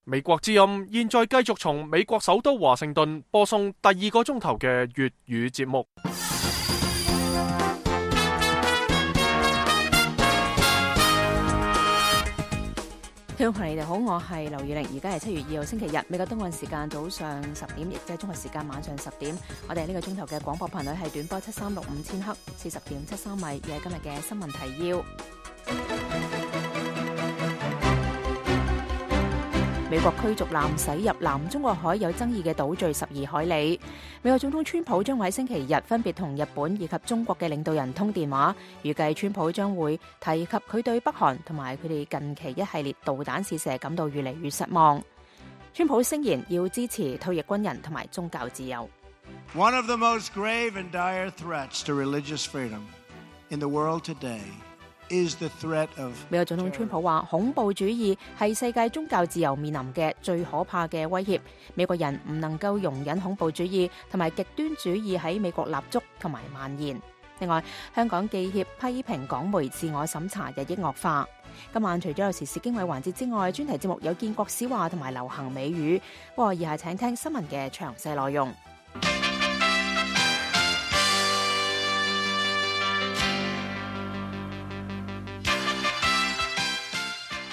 美國之音現在繼續從美國首都華盛頓播送第2個鐘頭嘅粵語節目。聽眾朋友你哋好，我係劉宇玲，而家係7月2號星期日，美國東岸時間早上10點，亦即係中國時間晚上10點。我哋呢個鐘頭嘅廣播頻率係短波7365000赫，40.73米，亦係今日嘅新聞提要。美國驅逐艦駛入南中國海有爭議嘅島嶼12海里。美國總統川普將會喺星期日分別同日本以及中國嘅領導人通電話，預計川普將會提及佢對北韓同埋佢哋近期一系列導彈試射感到越嚟越失望。川普聲言要支持退役軍人同埋宗教自由。One of the most grave and dire threats to religious freedom in the world today is the threat of 美國總統川普話，恐怖主義係世界宗教自由面臨嘅最可怕嘅威脅。美國人唔能夠容忍恐怖主義同埋極端主義喺美國立足同埋蔓延。另外，香港記協批評港媒自我審查日益惡化。今晚除咗有時事經緯環節之外，專題節目有建國史話同埋流行美語。不過以下請聽新聞嘅詳細內容。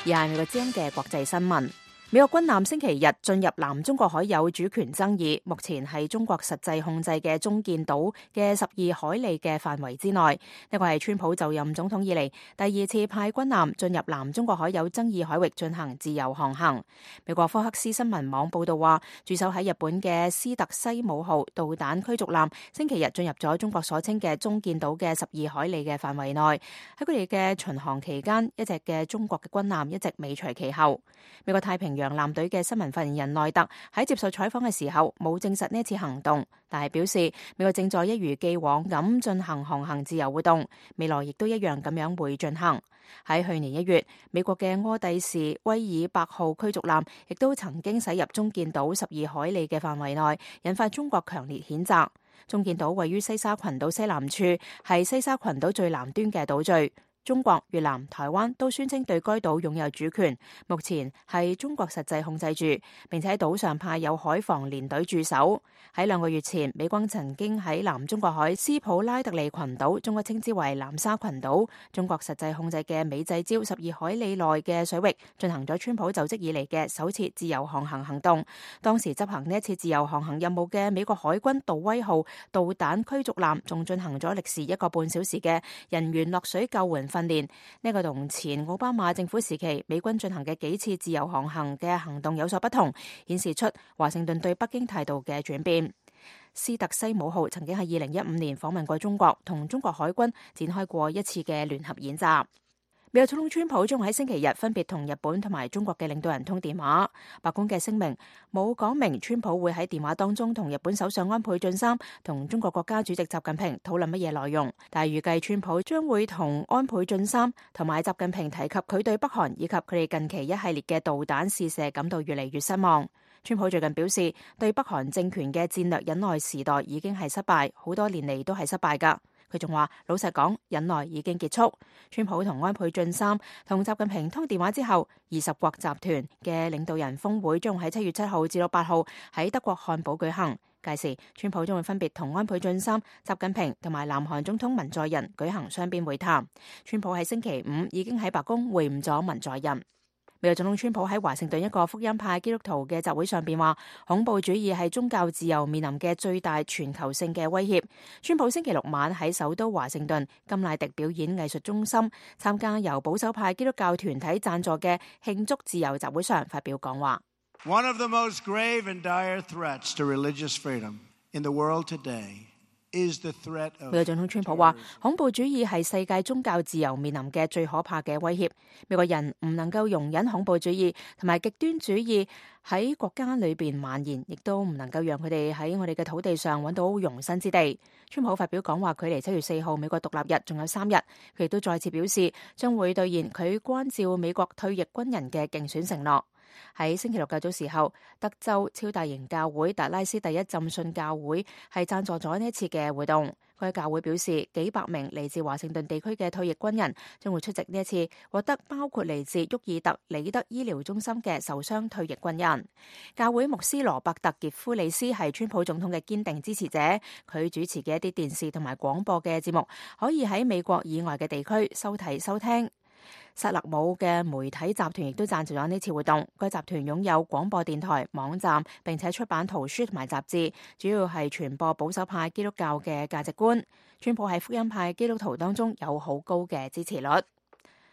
而係美國之音嘅國際新聞。美國軍艦星期日進入南中國海有主權爭議，目前係中國實際控制嘅中建島嘅12海里嘅範圍之內。呢個係川普就任總統以嚟第2次派軍艦進入南中國海有爭議海域進行自由航行。美國科克斯新聞網報道話，駐守喺日本嘅斯特西姆號導彈驅逐艦星期日進入咗中國所稱嘅中建島嘅12海里嘅範圍內。喺佢哋嘅巡航期間，一隻嘅中國嘅軍艦一直尾隨其後。美國太平洋艦隊嘅新聞發言人內特喺接受採訪嘅時候冇證實呢次行動，但係表示美國正在一如既往咁進行航行自由活動，未來亦都一樣咁樣會進行。喺去年1月，美國嘅柯蒂士威爾伯號驅逐艦亦都曾經駛入中建島12海里嘅範圍內，引發中國強烈譴責。中建島位於西沙群島西南處，係西沙群島最南端嘅島嶼。中國、越南、台灣都宣稱對該島擁有主權，目前係中國實際控制住，並且喺島上派有海防連隊駐守。喺2個月前，美軍曾經喺南中國海斯普拉特利群島，中國稱之為南沙群島，中國實際控制嘅美濟礁12海里內嘅水域，進行咗川普就職以嚟嘅首次自由航行行動。當時執行呢一次自由航行任務嘅美國海軍杜威號導彈驅逐艦，仲進行咗歷時1個半小時嘅人員落水救援訓練。呢個同前奧巴馬政府時期美軍進行嘅幾次自由航行嘅行動有所不同，顯示出華盛頓對北京態度嘅轉變。斯特西姆號曾經喺2015年訪問過中國，同中國海軍展開過一次嘅聯合演習。美國總統川普將會喺星期日分別同日本同埋中國嘅領導人通電話。白宮嘅聲明冇講明川普會喺電話當中同日本首相安倍晉三同中國國家主席習近平討論乜嘢內容，但係預計川普將會同安倍晉三同埋習近平提及佢對北韓以及佢哋近期一系列嘅導彈試射感到越嚟越失望。川普最近表示，對北韓政權嘅戰略忍耐時代已經係失敗，好多年嚟都係失敗㗎。佢仲話，老實講，忍耐已經結束。川普同安倍晉三同習近平通電話之後，20國集團嘅領導人峰會將喺7月7號至到8號喺德國漢堡舉行。屆時，川普將會分別同安倍晉三、習近平同埋南韓總統文在寅舉行雙邊會談。川普喺星期5已經喺白宮會晤咗文在寅。美國總統川普喺華盛頓一個福音派基督徒嘅集會上邊話，恐怖主義係宗教自由面臨嘅最大全球性嘅威脅。川普星期6晚喺首都華盛頓甘迺迪表演藝術中心參加由保守派基督教團體贊助嘅慶祝自由集會上發表講話。One of the most grave and dire threats to religious freedom in the world today is the threat of 美國總統川普話，恐怖主義係世界宗教自由面臨嘅最可怕嘅威脅。美國人唔能夠容忍恐怖主義同埋極端主義喺國家裏邊蔓延，亦都唔能夠讓佢哋喺我哋嘅土地上揾到容身之地。川普發表講話，距離7月4號美國獨立日仲有3日，佢亦都再次表示將會兌現佢關照美國退役軍人嘅競選承諾。喺星期六較早時候，德州超大型教會達拉斯第一浸信教會係贊助咗呢一次嘅活動。該教會表示，幾百名嚟自華盛頓地區嘅退役軍人將會出席呢一次獲得包括嚟自沃爾特里德醫療中心嘅受傷退役軍人。教會牧師羅伯特傑夫里斯係川普總統嘅堅定支持者，佢主持嘅一啲電視同埋廣播嘅節目可以喺美國以外嘅地區收睇收聽。薩勒姆嘅媒體集團亦都贊助咗呢次活動。該集團擁有廣播電台、網站，並且出版圖書同埋雜誌，主要係傳播保守派基督教嘅價值觀。川普喺福音派基督徒當中有好高嘅支持率。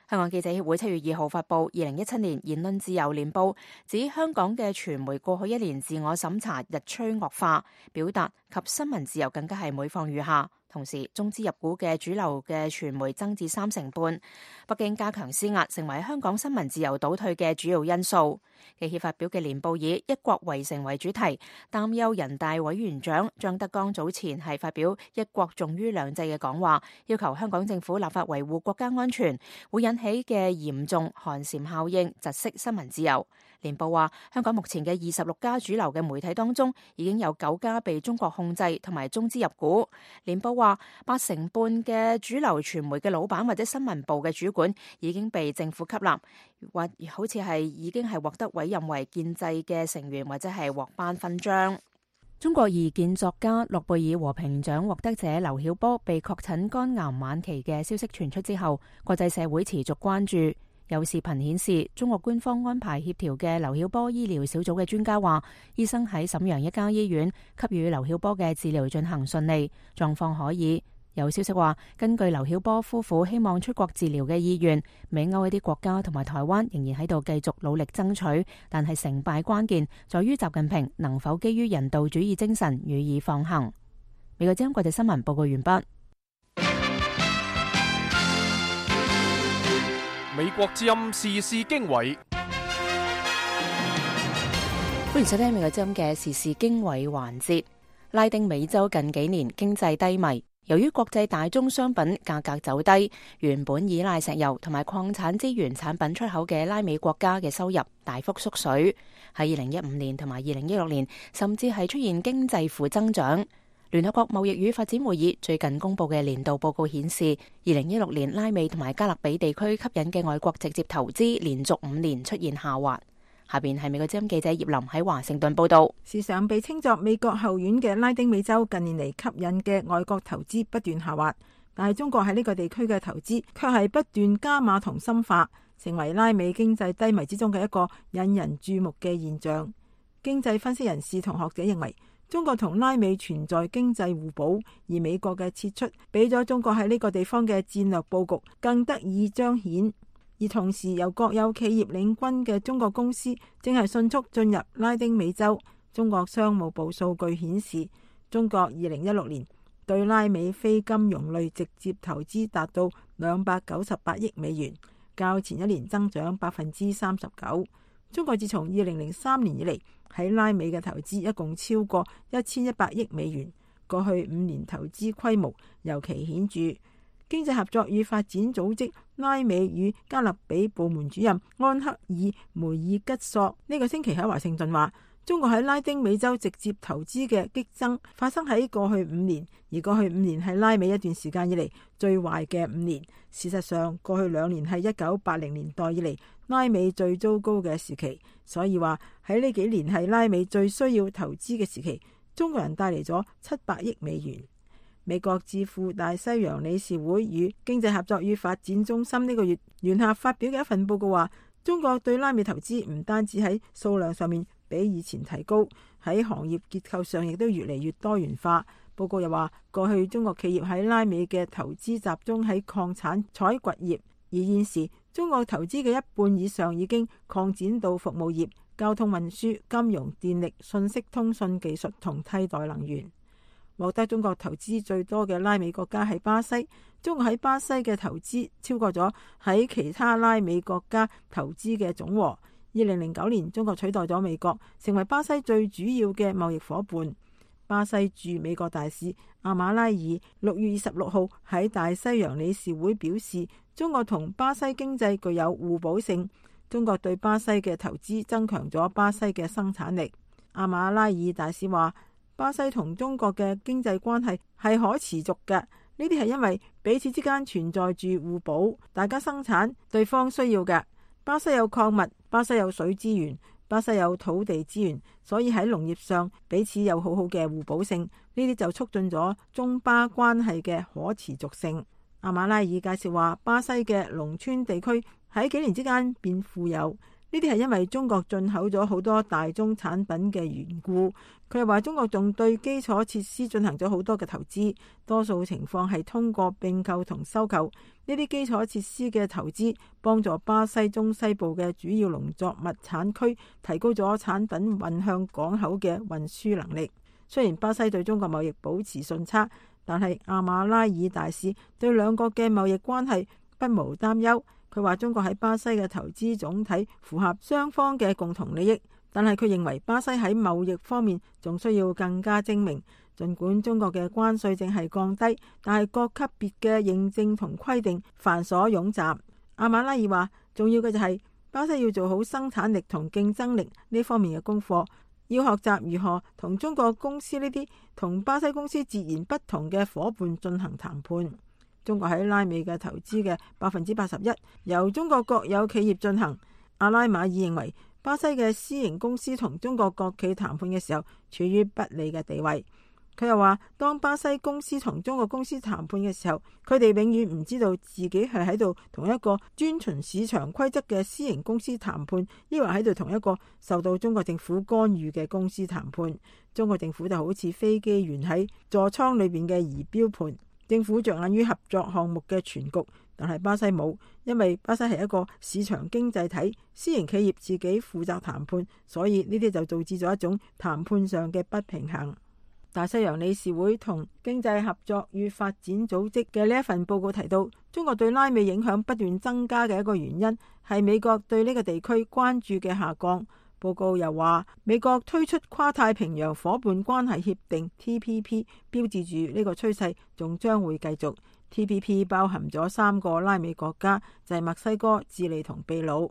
香港記者協會7月2號發布2017年言論自由年報，指香港嘅傳媒過去1年自我審查日趨惡化，表達及新聞自由更加係每況愈下。同時，中資入股嘅主流嘅傳媒增至3成半。北京加強施壓，成為香港新聞自由倒退嘅主要因素。記協發表嘅年報以一國圍城為主題，擔憂人大委員長張德江早前係發表一國重於兩制嘅講話，要求香港政府立法維護國家安全，會引起嘅嚴重寒蟬效應，窒息新聞自由。年報話，香港目前嘅26家主流嘅媒體當中，已經有9家被中國控制同埋中資入股。年報話，8成半嘅主流傳媒嘅老闆或者新聞部嘅主管已經被政府吸納，或好似係已經係獲得委任為建制嘅成員，或者係獲頒勳章。中國異見作家諾貝爾和平獎獲得者劉曉波被確診肝癌晚期嘅消息傳出之後，國際社會持續關注。有視頻顯示，中國官方安排協調嘅劉曉波醫療小組嘅專家話，醫生喺瀋陽一家醫院給予劉曉波嘅治療進行順利，狀況可以。有消息話，根據劉曉波夫婦希望出國治療嘅意願，美歐一啲國家同埋台灣仍然喺度繼續努力爭取，但係成敗關鍵在於習近平能否基於人道主義精神予以放行。美國之音國際新聞報告完畢。美國之音時事經緯，歡迎收聽美國之音嘅時事經緯環節。拉丁美洲近幾年經濟低迷，由於國際大宗商品價格走低，原本依賴石油同埋礦產資源產品出口嘅拉美國家嘅收入大幅縮水。喺2015年同埋2016年，甚至係出現經濟負增長。聯合國貿易與發展會議最近公布嘅年度報告顯示，2016年拉美同埋加勒比地區吸引嘅外國直接投資連續5年出現下滑。下邊係美國之音記者葉林喺華盛頓報道。時常被稱作美國後院嘅拉丁美洲，近年嚟吸引嘅外國投資不斷下滑，但係中國喺呢個地區嘅投資卻係不斷加碼同深化，成為拉美經濟低迷之中嘅一個引人注目嘅現象。經濟分析人士同學者認為，中國同拉美存在經濟互補，而美國嘅撤出俾咗中國喺呢個地方嘅戰略佈局更得以彰顯。而同時由國有企業領軍嘅中國公司正係迅速進入拉丁美洲。中國商務部數據顯示，中國2016年對拉美非金融類直接投資達到298億美元，較前一年增長39%。中國自從2003年以嚟喺拉美嘅投資一共超過1100億美元，過去5年投資規模尤其顯著。經濟合作與發展組織拉美與加勒比部門主任安克爾梅爾吉索呢個星期喺華盛頓話，中國喺拉丁美洲直接投資嘅激增發生喺過去5年，而過去5年係拉美一段時間以嚟最壞嘅5年。事實上，過去2年係1980年代以嚟拉美最糟糕嘅時期，所以話喺呢幾年係拉美最需要投資嘅時期。中國人帶嚟咗700億美元。美國智庫大西洋理事會與經濟合作與發展中心呢個月聯合發表嘅一份報告話，中國對拉美投資唔單止喺數量上面比以前提高，喺行業結構上亦都越嚟越多元化。報告又話，過去中國企業喺拉美嘅投資集中喺礦產採掘業，而現時中國投資嘅一半以上已經擴展到服務業、交通運輸、金融、電力、信息通訊技術同替代能源。獲得中國投資最多嘅拉美國家係巴西，中國喺巴西嘅投資超過咗喺其他拉美國家投資嘅總和。2009年，中國取代咗美國，成為巴西最主要嘅貿易夥伴。巴西駐美國大使阿馬拉爾6月26號喺大西洋理事會表示，中國同巴西經濟具有互補性，中國對巴西嘅投資增強咗巴西嘅生產力。阿馬拉爾大使話，巴西同中國嘅經濟關係係可持續嘅，呢啲係因為彼此之間存在住互補，大家生產對方需要嘅。巴西有礦物，巴西有水資源，巴西有土地資源，所以喺農業上彼此有好好嘅互補性，呢啲就促進咗中巴關係嘅可持續性。阿馬拉爾介紹話，巴西嘅農村地區喺幾年之間變富有，呢啲係因為中國進口咗好多大宗產品嘅緣故。佢又話中國仲對基礎設施進行咗好多嘅投資，多數情況係通過併購同收購。呢啲基礎設施嘅投資幫助巴西中西部嘅主要農作物產區提高咗產品運向港口嘅運輸能力。雖然巴西對中國貿易保持順差，但係阿馬拉爾大使對兩國嘅貿易關係不無擔憂。佢話中國喺巴西嘅投資總體符合雙方嘅共同利益，但係佢認為巴西喺貿易方面仲需要更加精明。儘管中國嘅關稅淨係降低，但係各級別嘅認證同規定繁瑣冗雜。阿馬拉爾話，重要嘅就係巴西要做好生產力同競爭力呢方面嘅功課，要學習如何同中國公司呢啲同巴西公司截然不同嘅夥伴進行談判。中國喺拉美嘅投資嘅81%由中國國有企業進行。阿拉馬爾認為巴西嘅私營公司同中國國企談判嘅時候處於不利嘅地位。佢又話，當巴西公司同中國公司談判嘅時候，佢哋永遠唔知道自己係喺度同一個遵循市場規則嘅私營公司談判，抑或喺度同一個受到中國政府干預嘅公司談判。中國政府就好似飛機員喺座艙裏邊嘅儀表盤，政府着眼於合作項目嘅全局，但係巴西冇，因為巴西係一個市場經濟體，私營企業自己負責談判，所以呢啲就導致咗一種談判上嘅不平衡。大西洋理事會同經濟合作與發展組織嘅呢一份報告提到，中國對拉美影響不斷增加嘅一個原因係美國對呢個地區關注嘅下降。報告又話，美國推出跨太平洋夥伴關係協定 TPP， 標誌住呢個趨勢仲將會繼續。TPP 包含咗3個拉美國家，就係墨西哥、智利同秘魯。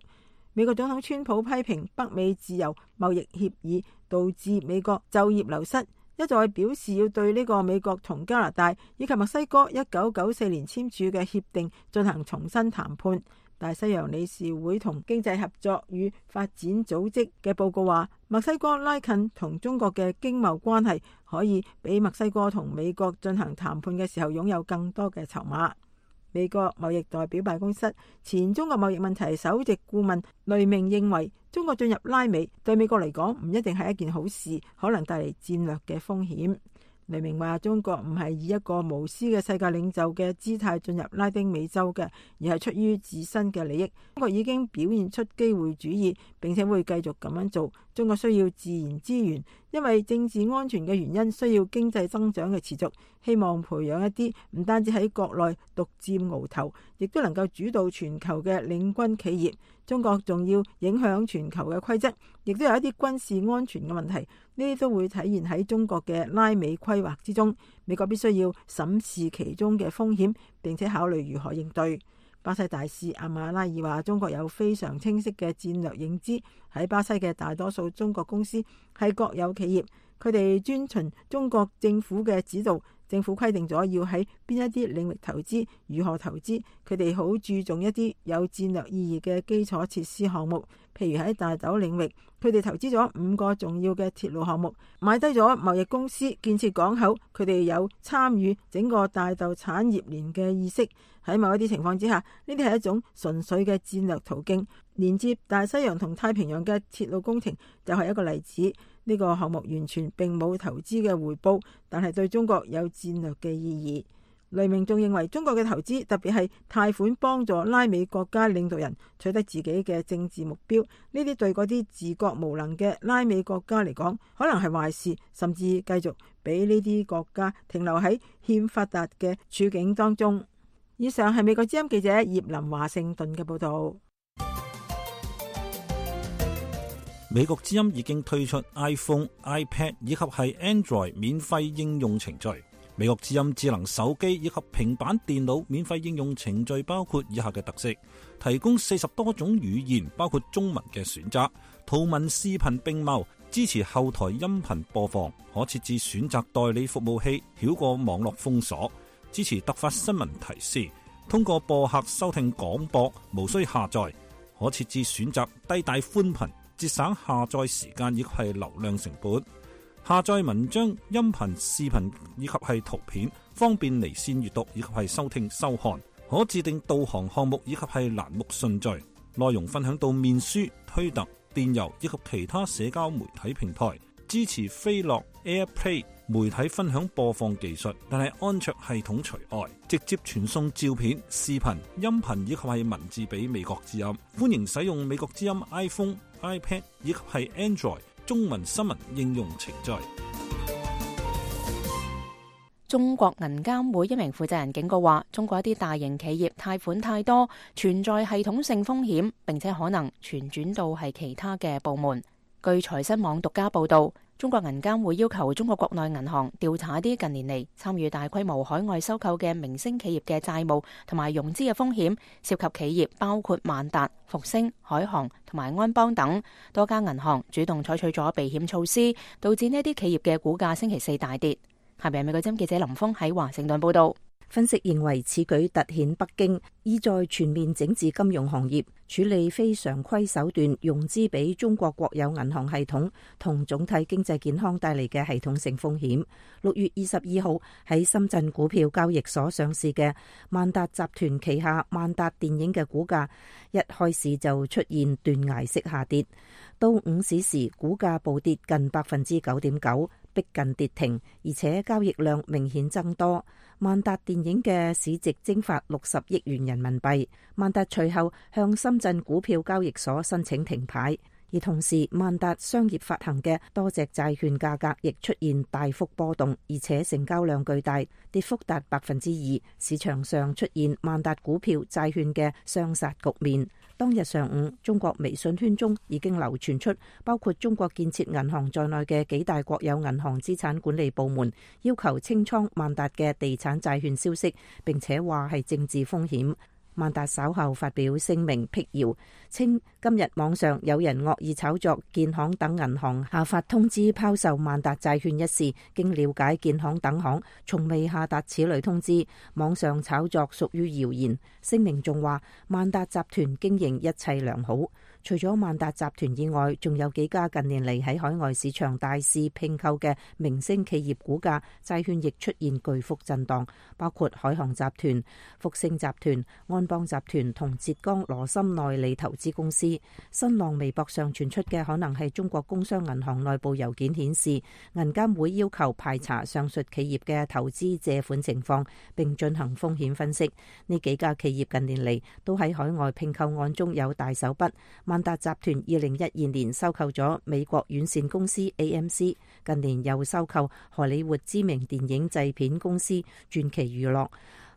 美國總統川普批評北美自由貿易協議導致美國就業流失，一再表示要對呢個美國同加拿大以及墨西哥1994年簽署嘅協定進行重新談判。大西洋理事會同經濟合作與發展組織嘅報告話，墨西哥拉近同中國嘅經貿關係，可以俾墨西哥同美國進行談判嘅時候擁有更多嘅籌碼。美國貿易代表辦公室前中國貿易問題首席顧問雷明認為，中國進入拉美對美國嚟講唔一定係一件好事，可能帶嚟戰略嘅風險。雷明話，中國唔係以一個無私嘅世界領袖嘅姿態進入拉丁美洲嘅，而係出於自身嘅利益。中國已經表現出機會主義，並且會繼續咁樣做。中國需要自然資源，因為政治安全嘅原因，需要經濟增長嘅持續。希望培養一啲唔單止喺國內獨佔鰲頭，亦都能夠主導全球嘅領軍企業。中國仲要影響全球嘅規則，亦都有一啲軍事安全嘅問題，呢啲都會體現喺中國嘅拉美規劃之中。美國必須要審視其中嘅風險，並且考慮如何應對。巴西大使阿馬拉爾話，中國有非常清晰嘅戰略認知，喺巴西嘅大多數中國公司係國有企業，佢哋遵循中國政府嘅指導。政府規定咗要喺邊一啲領域投資，如何投資，佢哋好注重一啲有戰略意義嘅基礎設施項目，譬如喺大豆領域，佢哋投資咗5個重要嘅鐵路項目，買低咗貿易公司，建設港口，佢哋有參與整個大豆產業鏈嘅意識。喺某一啲情況之下，呢啲係一種純粹嘅戰略途徑。連接大西洋同太平洋嘅鐵路工程就係一個例子。呢個項目完全並冇投資嘅回報，但係對中國有戰略嘅意義。雷明仲認為，中國嘅投資，特別係貸款幫助拉美國家領導人取得自己嘅政治目標，呢啲對嗰啲自覺無能嘅拉美國家嚟講，可能係壞事，甚至繼續俾呢啲國家停留喺欠發達嘅處境當中。以上係美國之音記者葉林華盛頓嘅報道。美國之音已經推出 iPhone、iPad 以及係 Android 免費應用程序。美國之音智能手機以及平板電腦免費應用程序包括以下嘅特色：提供40多種語言，包括中文嘅選擇，圖文視頻並茂，支持後台音頻播放，可設置選擇代理服務器，繞過網絡封鎖，支持突發新聞提示，通過播客收聽廣播，無需下載，可設置選擇低帶寬頻，節省下載時間以及係流量成本。下載文章、音頻、視頻以及係圖片，方便離線閱讀以及係收聽收看。可自定導航項目以及係欄目順序。內容分享到面書、推特、電郵以及其他社交媒體平台。支持飛樂 AirPlay 媒體分享播放技術，但係安卓系統除外。直接傳送照片、視頻、音頻以及係文字俾美國之音。歡迎使用美國之音 iPhone、iPad 以及係 Android中文新聞應用程序。中國銀監會一名負責人警告話，中國一啲大型企業貸款太多，存在系統性風險，並且可能傳轉到係其他嘅部門。據財新網獨家報道，中國銀監會要求中國國內銀行調查一啲近年嚟參與大規模海外收購嘅明星企業嘅債務同埋融資嘅風險，涉及企業包括萬達、復星、海航同埋安邦等。多家銀行主動採取咗避險措施，導致呢啲企業嘅股價星期四大跌。下邊美國之音記者林峰喺華盛頓報道。分析認為，此舉凸顯北京意在全面整治金融行業，處理非常規手段融資俾中國國有銀行系統同總體經濟健康帶嚟嘅系統性風險。6月22號喺深圳股票交易所上市嘅萬達集團旗下萬達電影嘅股價一開始就出現斷崖式下跌，到午市時股價暴跌近 9.9%， 逼近跌停，而且交易量明顯增多。萬達電影嘅市值蒸發60億元人民幣，萬達隨後向深圳股票交易所申請停牌，而同時萬達商業發行嘅多隻債券價格亦出現大幅波動，而且成交量巨大，跌幅達 2%， 市場上出現萬達股票債券嘅雙殺局面。當日上午，中國微信圈中已經流傳出包括中國建設銀行在內嘅幾大國有銀行資產管理部門要求清倉萬達嘅地產債券消息，並且話係政治風險。萬達稍後發表聲明辟謠，稱今日網上有人惡意炒作建行等銀行下發通知拋售萬達債券一事，經了解建行等行從未下達此類通知，網上炒作屬於謠言。聲明仲話萬達集團經營一切良好。除咗萬達集團以外，仲有幾家近年嚟喺海外市場大肆併購嘅明星企業股價、債券亦出現巨幅震盪，包括海航集團、復星集團、安邦集團同浙江羅森內里投資公司。新浪微博上傳出嘅可能係中國工商銀行內部郵件顯示，銀監會要求排查上述企業嘅投資借款情況，並進行風險分析。呢幾家企業近年嚟都喺海外併購案中有大手筆。萬達集團2012年收購咗美國院線公司 AMC， 近年又收購荷里活知名電影製片公司傳奇娛樂。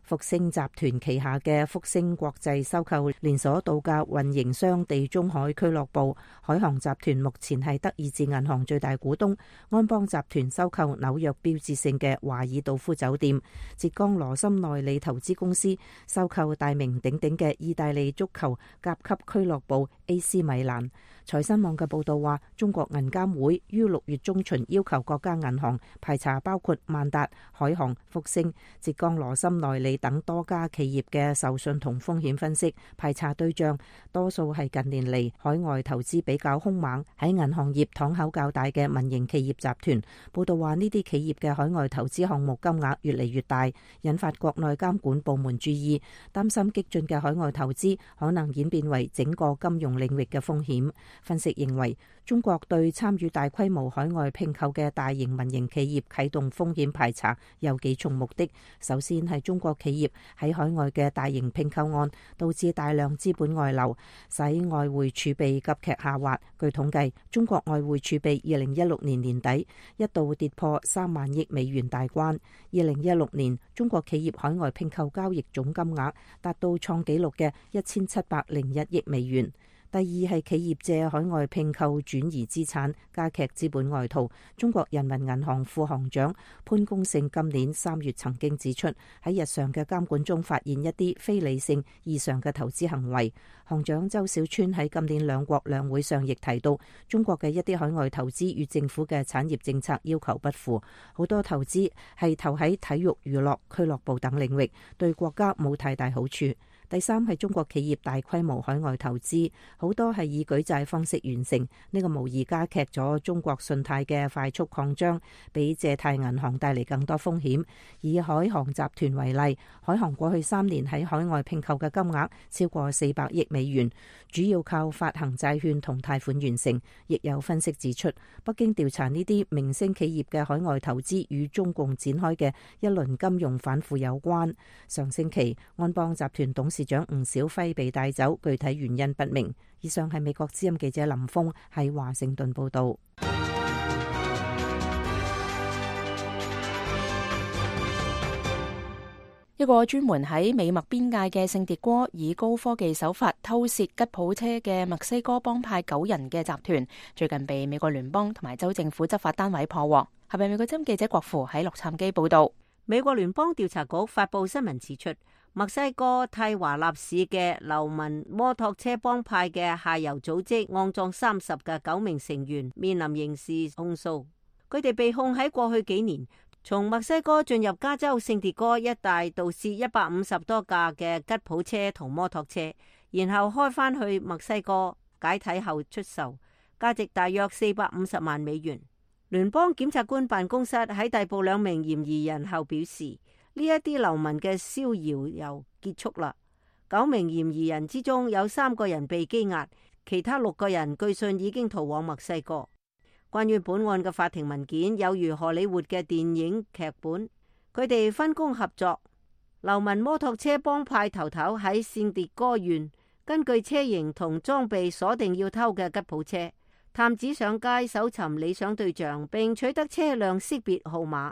復星集團旗下嘅復星國際收購連鎖度假運營商地中海俱樂部。海航集團目前係德意志銀行最大股東。安邦集團收購紐約標誌性嘅華爾道夫酒店。浙江羅森內里投資公司收購大名鼎鼎嘅意大利足球甲級俱樂部 AC 米蘭。財新網嘅報道話，中國銀監會於6月中旬要求各家銀行排查包括萬達、海航、復星、浙江羅森內里等多家企業嘅授信同風險分析。排查對象多數係近年嚟海外投資比較兇猛、喺銀行業敞口較大嘅民營企業集團。報道話，呢啲企業嘅海外投資項目金額越嚟越大，引發國內監管部門注意，擔心激進嘅海外投資可能演變為整個金融領域嘅風險。分析認為，中國對參與大規模海外併購嘅大型民營企業啟動風險排查有幾重目的。首先係中國企業喺海外嘅大型併購案，導致大量資本外流，使外匯儲備急劇下滑。據統計，中國外匯儲備2016年年底一度跌破3萬億美元大關。2016年，中國企業海外併購交易總金額達到創紀錄嘅1701億美元。第二係企業借海外併購轉移資產，加劇資本外逃。中國人民銀行副行長潘功勝今年3月曾經指出，喺日常嘅監管中發現一啲非理性異常嘅投資行為。行長周小川喺今年兩國兩會上亦提到，中國嘅一啲海外投資與政府嘅產業政策要求不符，好多投資係投喺體育、娛樂、俱樂部等領域，對國家冇太大好處。第三係中國企業大規模海外投資，好多係以舉債方式完成，呢個無疑加劇咗中國信貸嘅快速擴張，俾借貸銀行帶嚟更多風險。以海航集團為例，海航過去3年喺海外併購嘅金額超過400億美元，主要靠發行債券同貸款完成。亦有分析指出，北京調查呢啲明星企業嘅海外投資與中共展開嘅一輪金融反腐有關。上星期安邦集團董事長吳小輝被帶走，具體原因不明。以上係美國之音記者林峰喺華盛頓報道。一個專門喺美墨邊界嘅聖迭戈以高科技手法偷竊吉普車嘅墨西哥幫派9人嘅集團，最近被美國聯邦同埋州政府執法單位破獲。係咪美國之音記者郭芙喺洛杉磯報道？美國聯邦調查局發佈新聞指出，墨西哥蒂華納市嘅流民摩托車幫派嘅下游組織骯髒30嘅9名成員面臨刑事控訴。佢哋被控喺過去幾年從墨西哥進入加州聖迭戈一帶盜竊150多架嘅吉普車同摩托車，然後開返去墨西哥解體後出售，價值大約450萬美元。聯邦檢察官辦公室喺逮捕2名嫌疑人後表示，呢一啲流民嘅逍遙遊結束啦。9名嫌疑人之中有3個人被羈押，其他6個人據信已經逃往墨西哥。關於本案嘅法庭文件有如荷里活嘅電影劇本，佢哋分工合作。流民摩托車幫派頭頭喺聖迭戈縣，根據車型同裝備鎖定要偷嘅吉普車，探子上街搜尋理想對象，並取得車輛識別號碼。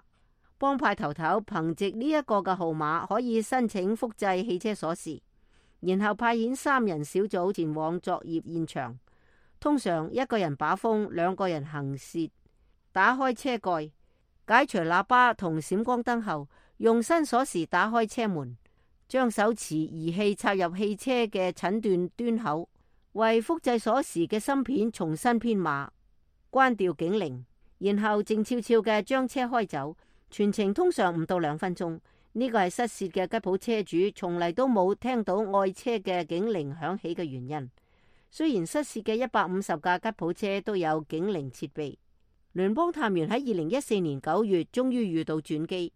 幫派頭頭憑藉呢一個嘅號碼可以申請複製汽車鎖匙，然後派遣3人小組前往作業現場。通常1個人把風，2個人行竊。打開車蓋，解除喇叭同閃光燈後，用新鎖匙打開車門，將手持儀器插入汽車嘅診斷端口，為複製鎖匙嘅芯片重新編碼，關掉警鈴，然後靜悄悄嘅將車開走。全程通常唔到2分鐘。呢個係失竊嘅吉普車主從嚟都冇聽到愛車嘅警鈴響起嘅原因。雖然失竊嘅150架吉普車都有警鈴設備，聯邦探員喺2014年9月終於遇到轉機，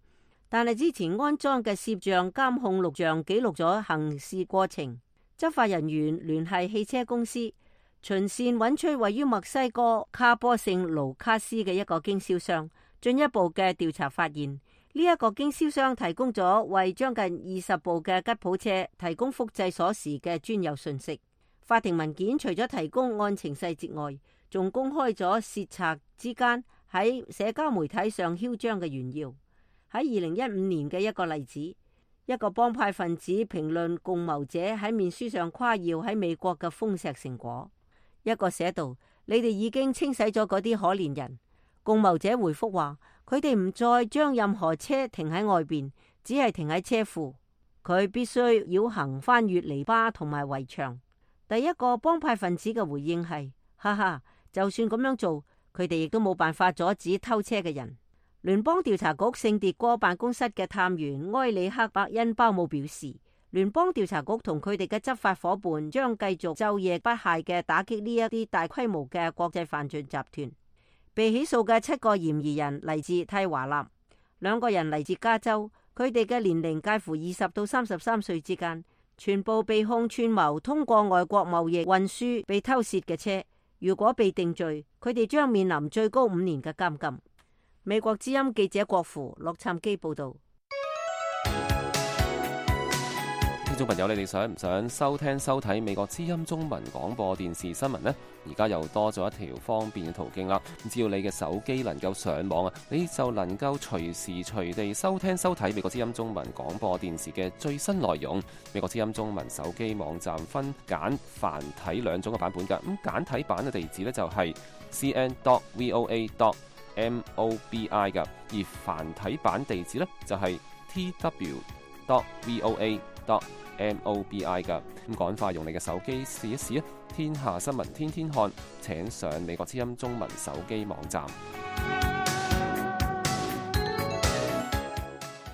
但係之前安裝嘅攝像監控錄像記錄咗行事過程。執法人員聯繫汽車公司，循線揾出位於墨西哥卡波聖盧卡斯嘅一個經銷商。進一步嘅調查發現，呢一個經銷商提供咗為將近20部嘅吉普車提供複製鎖匙嘅專有信息。法庭文件除咗提供案情細節外，仲公開咗竊賊之間喺社交媒體上囂張嘅炫耀。喺2015年嘅一個例子，一個幫派分子評論共謀者喺面書上誇耀喺美國嘅豐碩成果。一個寫道：你哋已經清洗咗嗰啲可憐人。共謀者回覆話：佢哋唔再將任何車停喺外邊，只係停喺車庫。佢必須繞行翻越籬笆同埋圍牆。第一個幫派分子嘅回應係：哈哈，就算咁樣做，佢哋亦都冇辦法阻止偷車嘅人。聯邦調查局聖迭戈辦公室嘅探員埃里克伯恩鮑姆表示，聯邦調查局同佢哋嘅執法伙伴將繼續晝夜不懈嘅打擊呢一啲大規模嘅國際犯罪集團。被起訴嘅7個嫌疑人嚟自蒂華納，2個人嚟自加州，佢哋嘅年齡介乎20到33歲之間，全部被控串謀通過外國貿易運輸被偷竊嘅車。如果被定罪，佢哋將面臨最高5年嘅監禁。美國之音記者郭芙洛杉磯報道。聽眾朋友，你哋想唔想收聽收睇美國之音中文廣播電視新聞呢？而家又多咗一條方便嘅途徑啦。只要你嘅手機能夠上網啊，你就能夠隨時隨地收聽收睇美國之音中文廣播電視嘅最新內容。美國之音中文手機網站分簡繁體兩種嘅版本㗎。咁簡體版嘅地址呢，就係 cn.voa.mobi 㗎，而繁體版地址呢，就係 tw.voa.mobi 噶。咁趕快用你嘅手機試一試啊！天下新聞天天看，請上美國之音中文手機網站。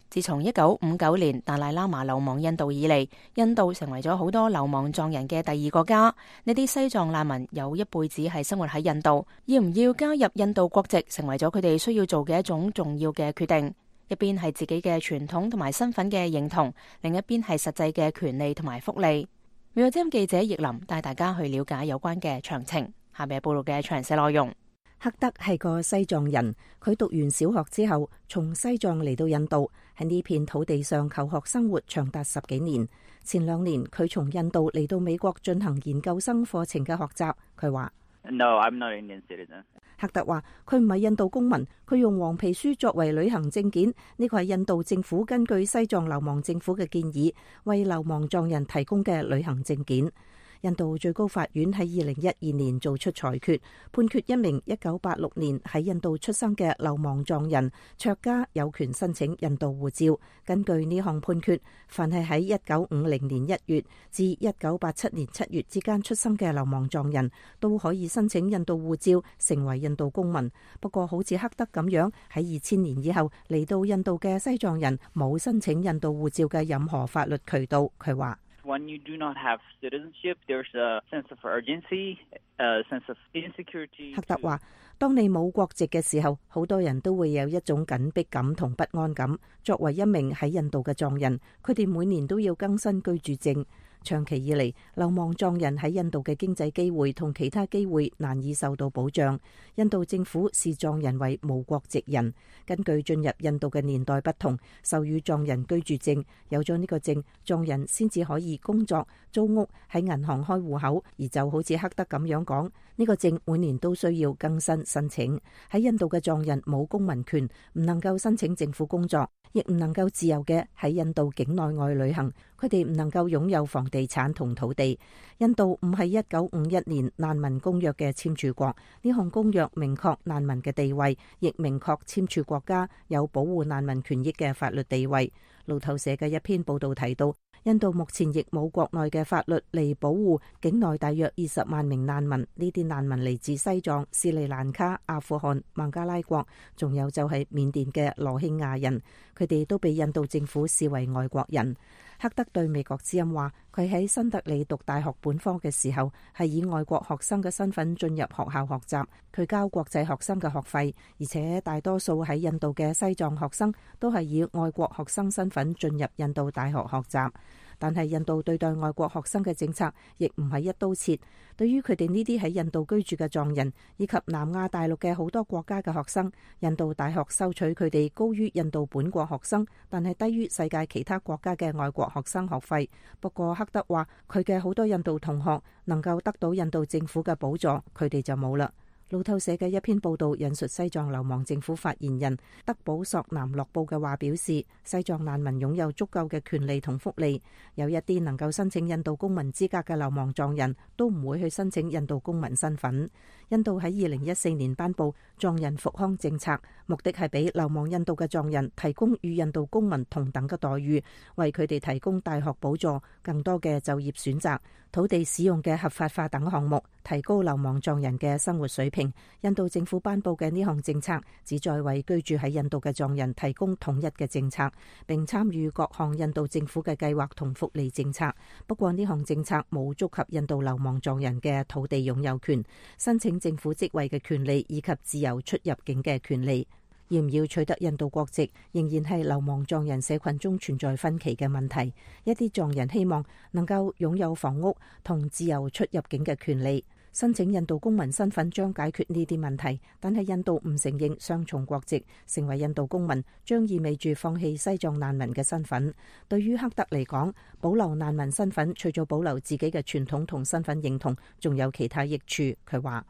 自從1959年達賴喇嘛流亡印度以嚟，印度成為咗好多流亡藏人嘅第二個家。呢啲西藏難民有一輩子係生活喺印度，要唔要加入印度國籍，成為咗佢哋需要做嘅一種重要嘅決定。一邊係自己嘅傳統同埋身份嘅認同，另一邊係實際嘅權利同埋福利。美國之音記者葉林帶大家去了解有關嘅詳情。下面係報道嘅詳細內容。克德係個西藏人，佢讀完小學之後，從西藏嚟到印度，喺呢片土地上求學生活長達10幾年。前2年，佢從印度嚟到美國進行研究生課程嘅學習。佢話：No, I'm not an Indian citizen. 克特話：佢唔係印度公民，佢用黃皮書作為旅行證件。呢個係印度政府根據西藏流亡政府嘅建議，為流亡藏人提供嘅旅行證件。印度最高法院喺2012年做出裁決，判決一名1986年喺印度出生嘅流亡藏人卓家有權申請印度護照。根據呢項判決，凡係喺1950年1月至1987年7月之間出生嘅流亡藏人都可以申請印度護照，成為印度公民。不過好似克德咁樣喺2000年以後嚟到印度嘅西藏人冇申請印度護照嘅任何法律渠道。佢話：When you do not have citizenship, there's a sense of urgency, a sense of insecurity. 克德話：當你冇國籍嘅時候，好多人都會有一種緊迫感同不安感。作為一名喺印度嘅藏人，佢哋每年都要更新居住證。長期以嚟，流亡藏人喺印度嘅經濟機會同其他機會難以受到保障。印度政府視藏人為無國籍人。根據進入印度嘅年代不同，授予藏人居住證，有咗呢個證，藏人先至可以工作、租屋、喺銀行開戶口。而就好似克德咁樣講，呢個證每年都需要更新申請。喺印度嘅藏人冇公民權，唔能夠申請政府工作，亦唔能夠自由嘅喺印度境內外旅行。佢哋唔能夠擁有房地產同土地。印度唔係1951年難民公約嘅簽署國，呢項公約明確難民嘅地位，亦明確簽署國家有保護難民權益嘅法律地位。路透社嘅一篇報道提到，印度目前亦冇國內嘅法律嚟保護境內大約20萬名難民。呢啲難民嚟自西藏、斯里蘭卡、阿富汗、孟加拉國，仲有就係緬甸嘅羅興亞人，佢哋都被印度政府視為外國人。克德對美國之音話：佢喺新德里讀大學本科嘅時候，係以外國學生嘅身份進入學校學習，佢交國際學生嘅學費，而且大多數喺印度嘅西藏學生都係以外國學生身份進入印度大學學習。但係印度對待外國學生嘅政策亦唔係一刀切。對於佢哋呢啲喺印度居住嘅藏人以及南亞大陸嘅好多國家嘅學生，印度大學收取佢哋高於印度本國學生，但係低於世界其他國家嘅外國學生學費。不過克德話，佢嘅好多印度同學能夠得到印度政府嘅補助，佢哋就冇啦。路透社嘅一篇報道引述西藏流亡政府發言人德保索南洛布嘅話表示，西藏難民擁有足夠嘅權利同福利。有一啲能夠申請印度公民資格嘅流亡藏人都唔會去申請印度公民身份。印度喺2014年頒布藏人復康政策，目的係俾流亡印度嘅藏人提供與印度公民同等嘅待遇，為佢哋提供大學補助、更多嘅就業選擇、土地使用嘅合法化等項目，提高流亡藏人嘅生活水平。印度政府頒布嘅呢項政策旨在為居住喺印度嘅藏人提供統一嘅政策，並參與各項印度政府嘅計劃同福利政策。不過呢項政策冇觸及印度流亡藏人嘅土地擁有權、申請政府職位嘅權利以及自由出入境嘅權利。要唔要取得印度國籍，仍然係流亡藏人社群中存在分歧嘅問題。一啲藏人希望能夠擁有房屋同自由出入境嘅權利。申請印度公民身份將解決呢啲問題，但係印度唔承認雙重國籍，成為印度公民將意味住放棄西藏難民嘅身份。對於克特嚟講，保留難民身份除咗保留自己嘅傳統同身份認同，仲有其他益處。佢話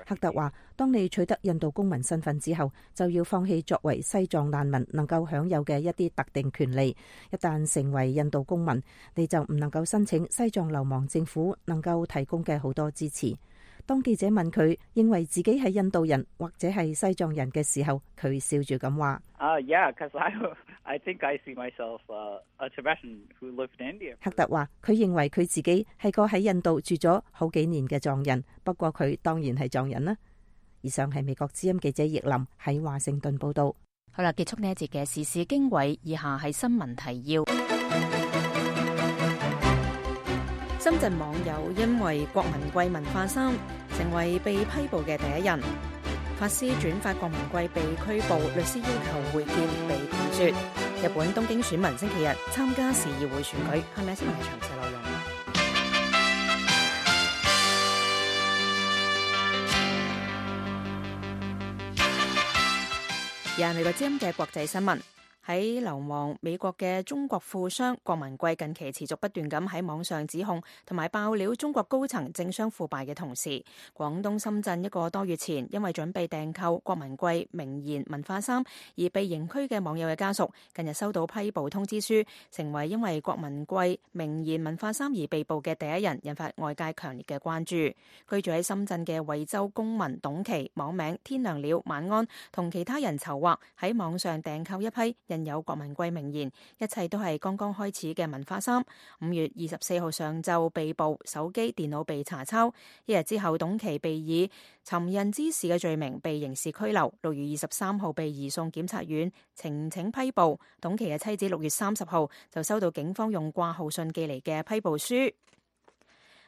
克特話，當你取得印度公民身份之後，就要放棄作為西藏難民能夠享有嘅一啲特定權利。一旦成為印度公民，你就唔能夠申請西藏流亡政府能夠提供嘅好多支持。當記者問佢認為自己係印度人或者係西藏人嘅時候，佢笑住咁話I think I see myself a Tibetan who lived in India. 克特話佢認為佢自己係個喺印度住咗好幾年嘅藏人，不過佢當然係藏人啦。以上係美國之音記者葉林喺華盛頓報道。好啦，結束呢一節嘅時事經緯，以下係新聞提要。深圳網友因為郭文貴文化衫，成為被批捕嘅第一人。法師轉發郭文貴被拘捕，律師要求會見被拒絕。日本東京選民星期日參加市議會選舉。係咪新聞詳細內容？而係美國之音嘅國際新聞。喺流亡美國嘅中國富商郭文貴近期持續不斷咁喺網上指控同埋爆料中國高層政商腐敗嘅同時，廣東深圳一個多月前因為準備訂購郭文貴名言文化衫而被刑拘嘅網友嘅家屬，近日收到批捕通知書，成為因為郭文貴名言文化衫而被捕嘅第一人，引發外界強烈嘅關注。居住喺深圳嘅惠州公民董琪，網名天亮了晚安，同其他人籌劃喺網上訂購一批有郭文貴名言，一切都係剛剛開始嘅文化衫。5月24號上晝被捕，手機電腦被查抄。一日之後，董琪被以尋釁滋事嘅罪名被刑事拘留。6月23號被移送檢察院呈請批捕。董琪嘅妻子6月30號就收到警方用掛號信寄嚟嘅批捕書。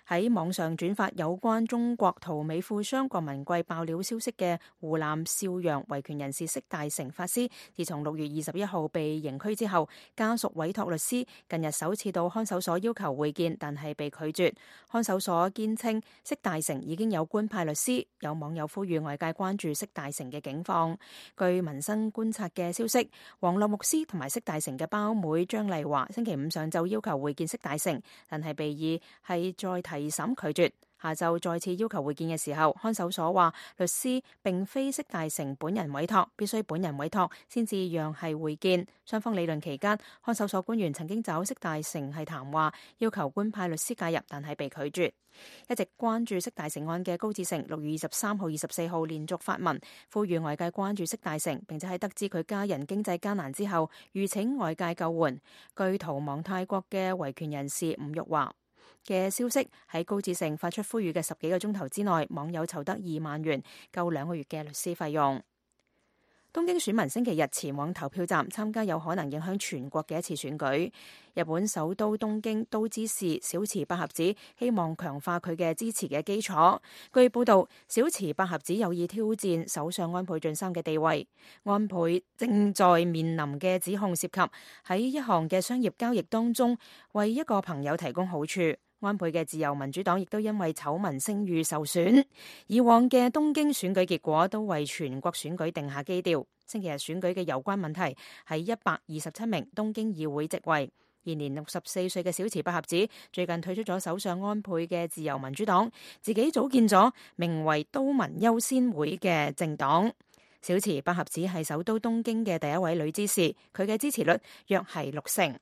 喺網上轉發有關中國陶美富商郭文貴爆料消息嘅湖南邵陽維權人士釋大成法師，自從6月21號被刑拘之後，家屬委託律師近日首次到看守所要求會見，但係被拒絕。看守所堅稱釋大成已經有官派律師。有網友呼籲外界關注釋大成嘅境況。據民生觀察嘅消息，黃樂牧師同埋釋大成嘅胞妹張麗華星期五上晝要求會見釋大成，但係被以係再提審拒絕。下晝再次要求會見嘅時候，看守所話律師並非釋大成本人委託，必須本人委託先至讓係會見。雙方理論期間，看守所官員曾經找釋大成係談話，要求官派律師介入，但係被拒絕。一直關注釋大成案嘅高志成6月23號、24號連續發文，呼籲外界關注釋大成，並且喺得知佢家人經濟艱難之後，籲請外界救援。據逃亡泰國嘅維權人士吳玉華嘅消息，喺高志成發出呼籲嘅10幾個鐘頭之內，網友籌得2萬元，夠2個月嘅律師費用。東京選民星期日前往投票站參加有可能影響全國嘅一次選舉。日本首都東京都知事小池百合子希望強化佢嘅支持嘅基礎。據報道，小池百合子有意挑戰首相安倍晉三嘅地位。安倍正在面臨嘅指控涉及喺一項嘅商業交易當中為一個朋友提供好處。安倍嘅自由民主黨亦都因為醜聞聲譽受損。以往嘅東京選舉結果都為全國選舉定下基調。星期日選舉嘅有關問題係127名東京議會席位。現年64歲嘅小池百合子最近退出咗首相安倍嘅自由民主黨，自己組建咗名為都民優先會嘅政黨。小池百合子係首都東京嘅第一位女知事，佢嘅支持率約係60%。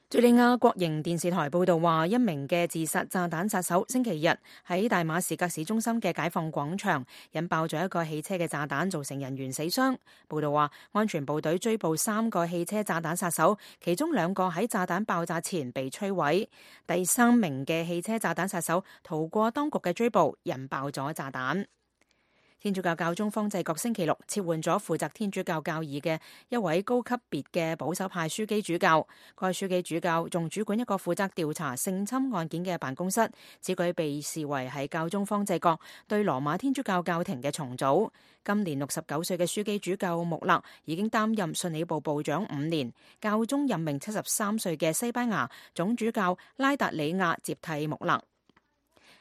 敘利亞國營電視台報道話，一名嘅自殺炸彈殺手星期日喺大馬士革市中心嘅解放廣場引爆咗一個汽車嘅炸彈，造成人員死傷。報道話，安全部隊追捕3個汽車炸彈殺手，其中2個喺炸彈爆炸前被摧毀，第3名嘅汽車炸彈殺手逃過當局嘅追捕，引爆咗炸彈。天主教教宗方濟各星期六撤換咗負責天主教教義嘅一位高級別嘅保守派樞機主教。該樞機主教仲主管一個負責調查性侵案件嘅辦公室，此舉被視為係教宗方濟各對羅馬天主教教廷嘅重組。今年69歲嘅樞機主教穆勒已經擔任信理部部長5年，教宗任命73歲嘅西班牙總主教拉達里亞接替穆勒。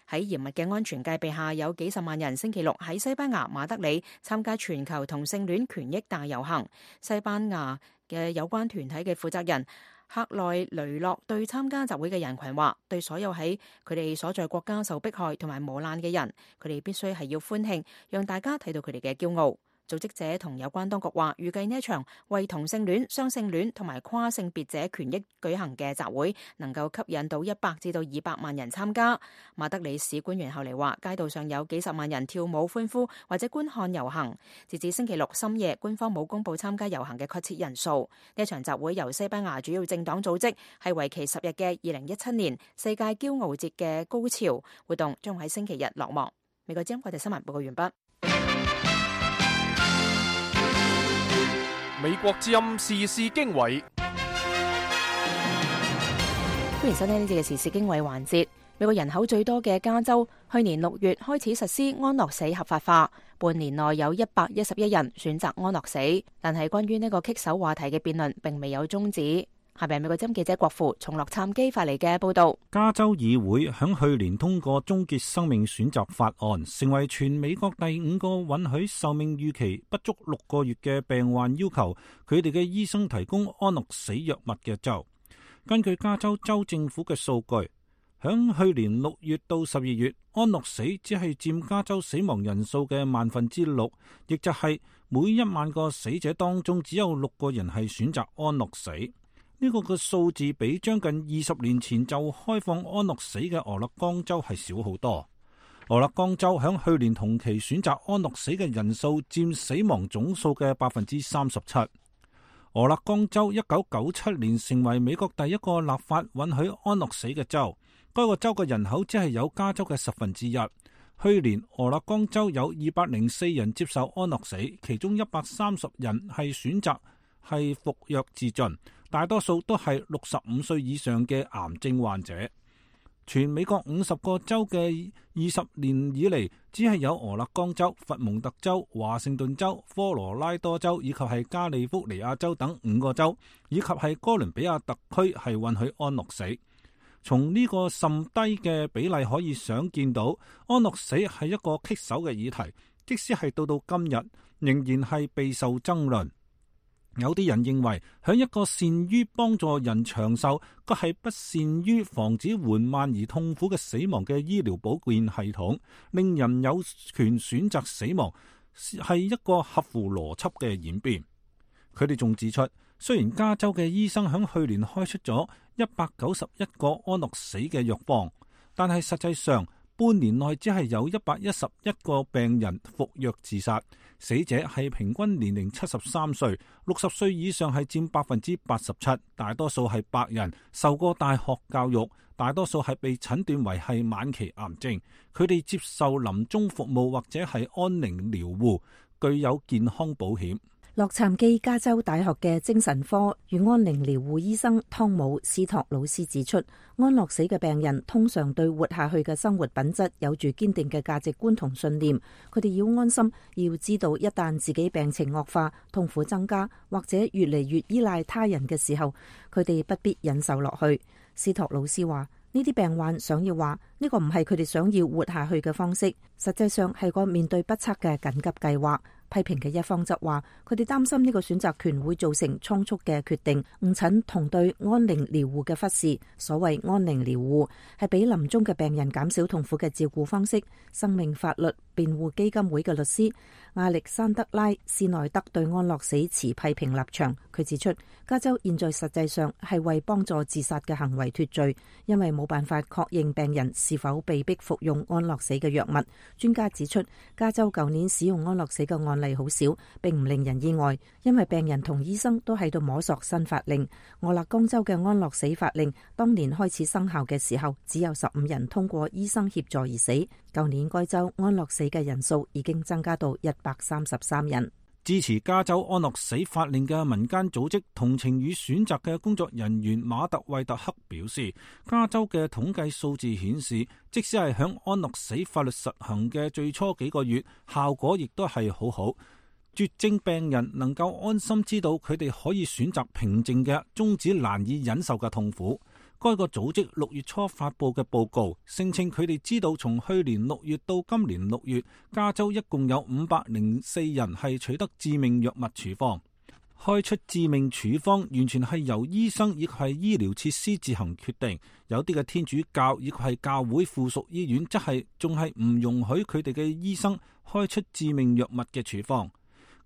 喺嚴密嘅安全戒備下，有幾十萬人星期六喺西班牙馬德里參加全球同性戀權益大遊行。西班牙嘅有關團體嘅負責人克內雷諾對參加集會嘅人群話，對所有喺佢哋所在國家受迫害同埋磨難嘅人，佢哋必須係要歡慶，讓大家睇到佢哋嘅驕傲。組織者同有關當局話，預計呢一場為同性戀、雙性戀同埋跨性別者權益舉行嘅集會，能夠吸引到100至到200萬人參加。馬德里市官員後嚟話，街道上有幾十萬人跳舞歡呼或者觀看遊行。截至星期六深夜，官方冇公布參加遊行嘅確切人數。呢一場集會由西班牙主要政黨組織，係為期10日嘅2017年世界驕傲節嘅高潮活動，將喺星期日落幕。美國之音國際新聞報告完畢。美國之音時事經緯，歡迎收聽呢節嘅時事經緯環節。美國人口最多嘅加州，去年6月開始實施安樂死合法化，半年內有111人選擇安樂死。但係關於呢個棘手話題嘅辯論並未有終止。下邊美國之音記者郭富從洛杉磯發嚟嘅報道。加州議會響去年通過終結生命選擇法案，成為全美國第5個允許壽命預期不足6個月嘅病患要求佢哋嘅醫生提供安樂死藥物嘅州。根據加州州政府嘅數據，響去年6月到12月，安樂死只係佔加州死亡人數嘅6%，亦就係每1萬個死者當中只有6個人係選擇安樂死。呢個嘅數字比將近20年前就開放安樂死嘅俄勒岡州係少好多。俄勒岡州響去年同期選擇安樂死嘅人數佔死亡總數嘅37%。俄勒岡州1997年成為美國第一個立法允許安樂死嘅州，該個州嘅人口只係有加州嘅1/10。去年俄勒岡州有204人接受安樂死，其中130人係選擇係服藥自盡，大多數都係65歲以上嘅癌症患者。全美國50個州嘅20年以嚟，只係有俄勒岡州、佛蒙特州、華盛頓州、科羅拉多州以及係加利福尼亞州等5個州，以及係哥倫比亞特區係允許安樂死。從呢個甚低嘅比例可以想見到，安樂死係一個棘手嘅議題，即使係到今日，仍然係備受爭論。有啲人認為，響一個善於幫助人長壽，卻係不善於防止緩慢而痛苦嘅死亡嘅醫療保健系統，令人有權選擇死亡，係一個合乎邏輯嘅演變。佢哋仲指出，雖然加州嘅醫生響去年開出咗191個安樂死嘅藥方，但係實際上半年內只係有111個病人服藥自殺。死者係平均年齡73歲，60歲以上係佔87%，大多數係白人，受過大學教育，大多數係被診斷為係晚期癌症。佢哋接受臨終服務或者係安寧療護，具有健康保險。洛杉磯加州大學嘅精神科與安寧療護醫生湯姆斯托魯斯指出，安樂死嘅病人通常對活下去嘅生活品質有住堅定嘅價值觀同信念，佢哋要安心，要知道一旦自己病情惡化、痛苦增加或者越嚟越依賴他人嘅時候，佢哋不必忍受落去。斯托魯斯話，呢啲病患想要話呢個唔係佢哋想要活下去嘅方式，實際上係個面對不測嘅緊急計劃。批評嘅一方則話，佢哋擔心呢個選擇權會造成倉促嘅決定、誤診同對安寧療護嘅忽視。所謂安寧療護係俾臨終嘅病人減少痛苦嘅照顧方式。生命法律辯護基金會嘅律師亞歷山德拉斯內德對安樂死持批評立場。佢指出，加州現在實際上係為幫助自殺嘅行為脫罪，因為冇辦法確認病人是否被逼服用安樂死嘅藥物。專家指出，加州舊年使用安樂死嘅案例例好少，並唔令人意外，因為病人同醫生都喺度摸索新法令。俄勒岡州嘅安樂死法令當年開始生效嘅時候，只有15人通過醫生協助而死。舊年該州安樂死嘅人數已經增加到133人。支持加州安樂死法令嘅民間組織同情與選擇嘅工作人員馬特惠特克表示，加州嘅統計數字顯示，即使係響安樂死法律實行嘅最初幾個月，效果亦都係好好。絕症病人能夠安心知道佢哋可以選擇平靜嘅終止難以忍受嘅痛苦。該個組織6月初發佈嘅報告聲稱，佢哋知道從去年6月到今年6月，加州一共有504人係取得致命藥物處方。開出致命處方完全係由醫生亦係醫療設施自行決定。有啲嘅天主教亦係教會附屬醫院，則係仲係唔容許佢哋嘅醫生開出致命藥物嘅處方。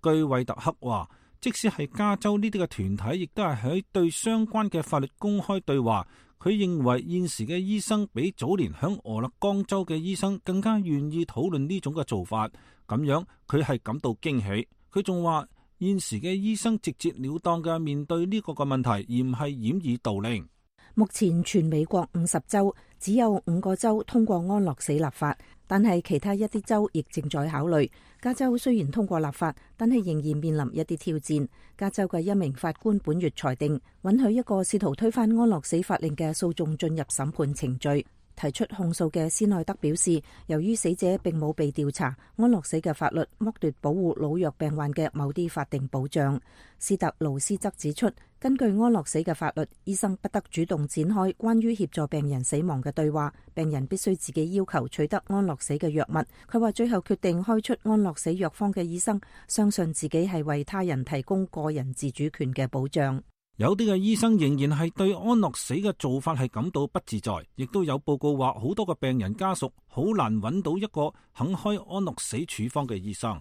據惠特克話，即使係加州呢啲嘅團體，亦都係喺對相關嘅法律公開對話。佢認為現時嘅醫生比早年響俄勒岡州嘅醫生更加願意討論呢種嘅做法，咁樣佢係感到驚喜。佢仲話現時嘅醫生直截了當嘅面對呢個嘅問題，而唔係掩耳盜鈴。目前全美國50州只有5個州通過安樂死立法，但係其他一啲州亦正在考慮。加州雖然通過立法，但係仍然面臨一啲挑戰。加州嘅一名法官本月裁定，允許一個試圖推翻安樂死法令嘅訴訟進入審判程序。提出控訴嘅斯內德表示，由於死者並冇被調查，安樂死嘅法律剝奪保護老弱病患嘅某啲法定保障。斯特勞斯則指出，根據安樂死嘅法律，醫生不得主動展開關於協助病人死亡嘅對話，病人必須自己要求取得安樂死嘅藥物。佢話最後決定開出安樂死藥方嘅醫生，相信自己係為他人提供個人自主權嘅保障。有啲嘅醫生仍然係對安樂死嘅做法係感到不自在，亦都有報告話好多嘅病人家屬好難揾到一個肯開安樂死處方嘅醫生。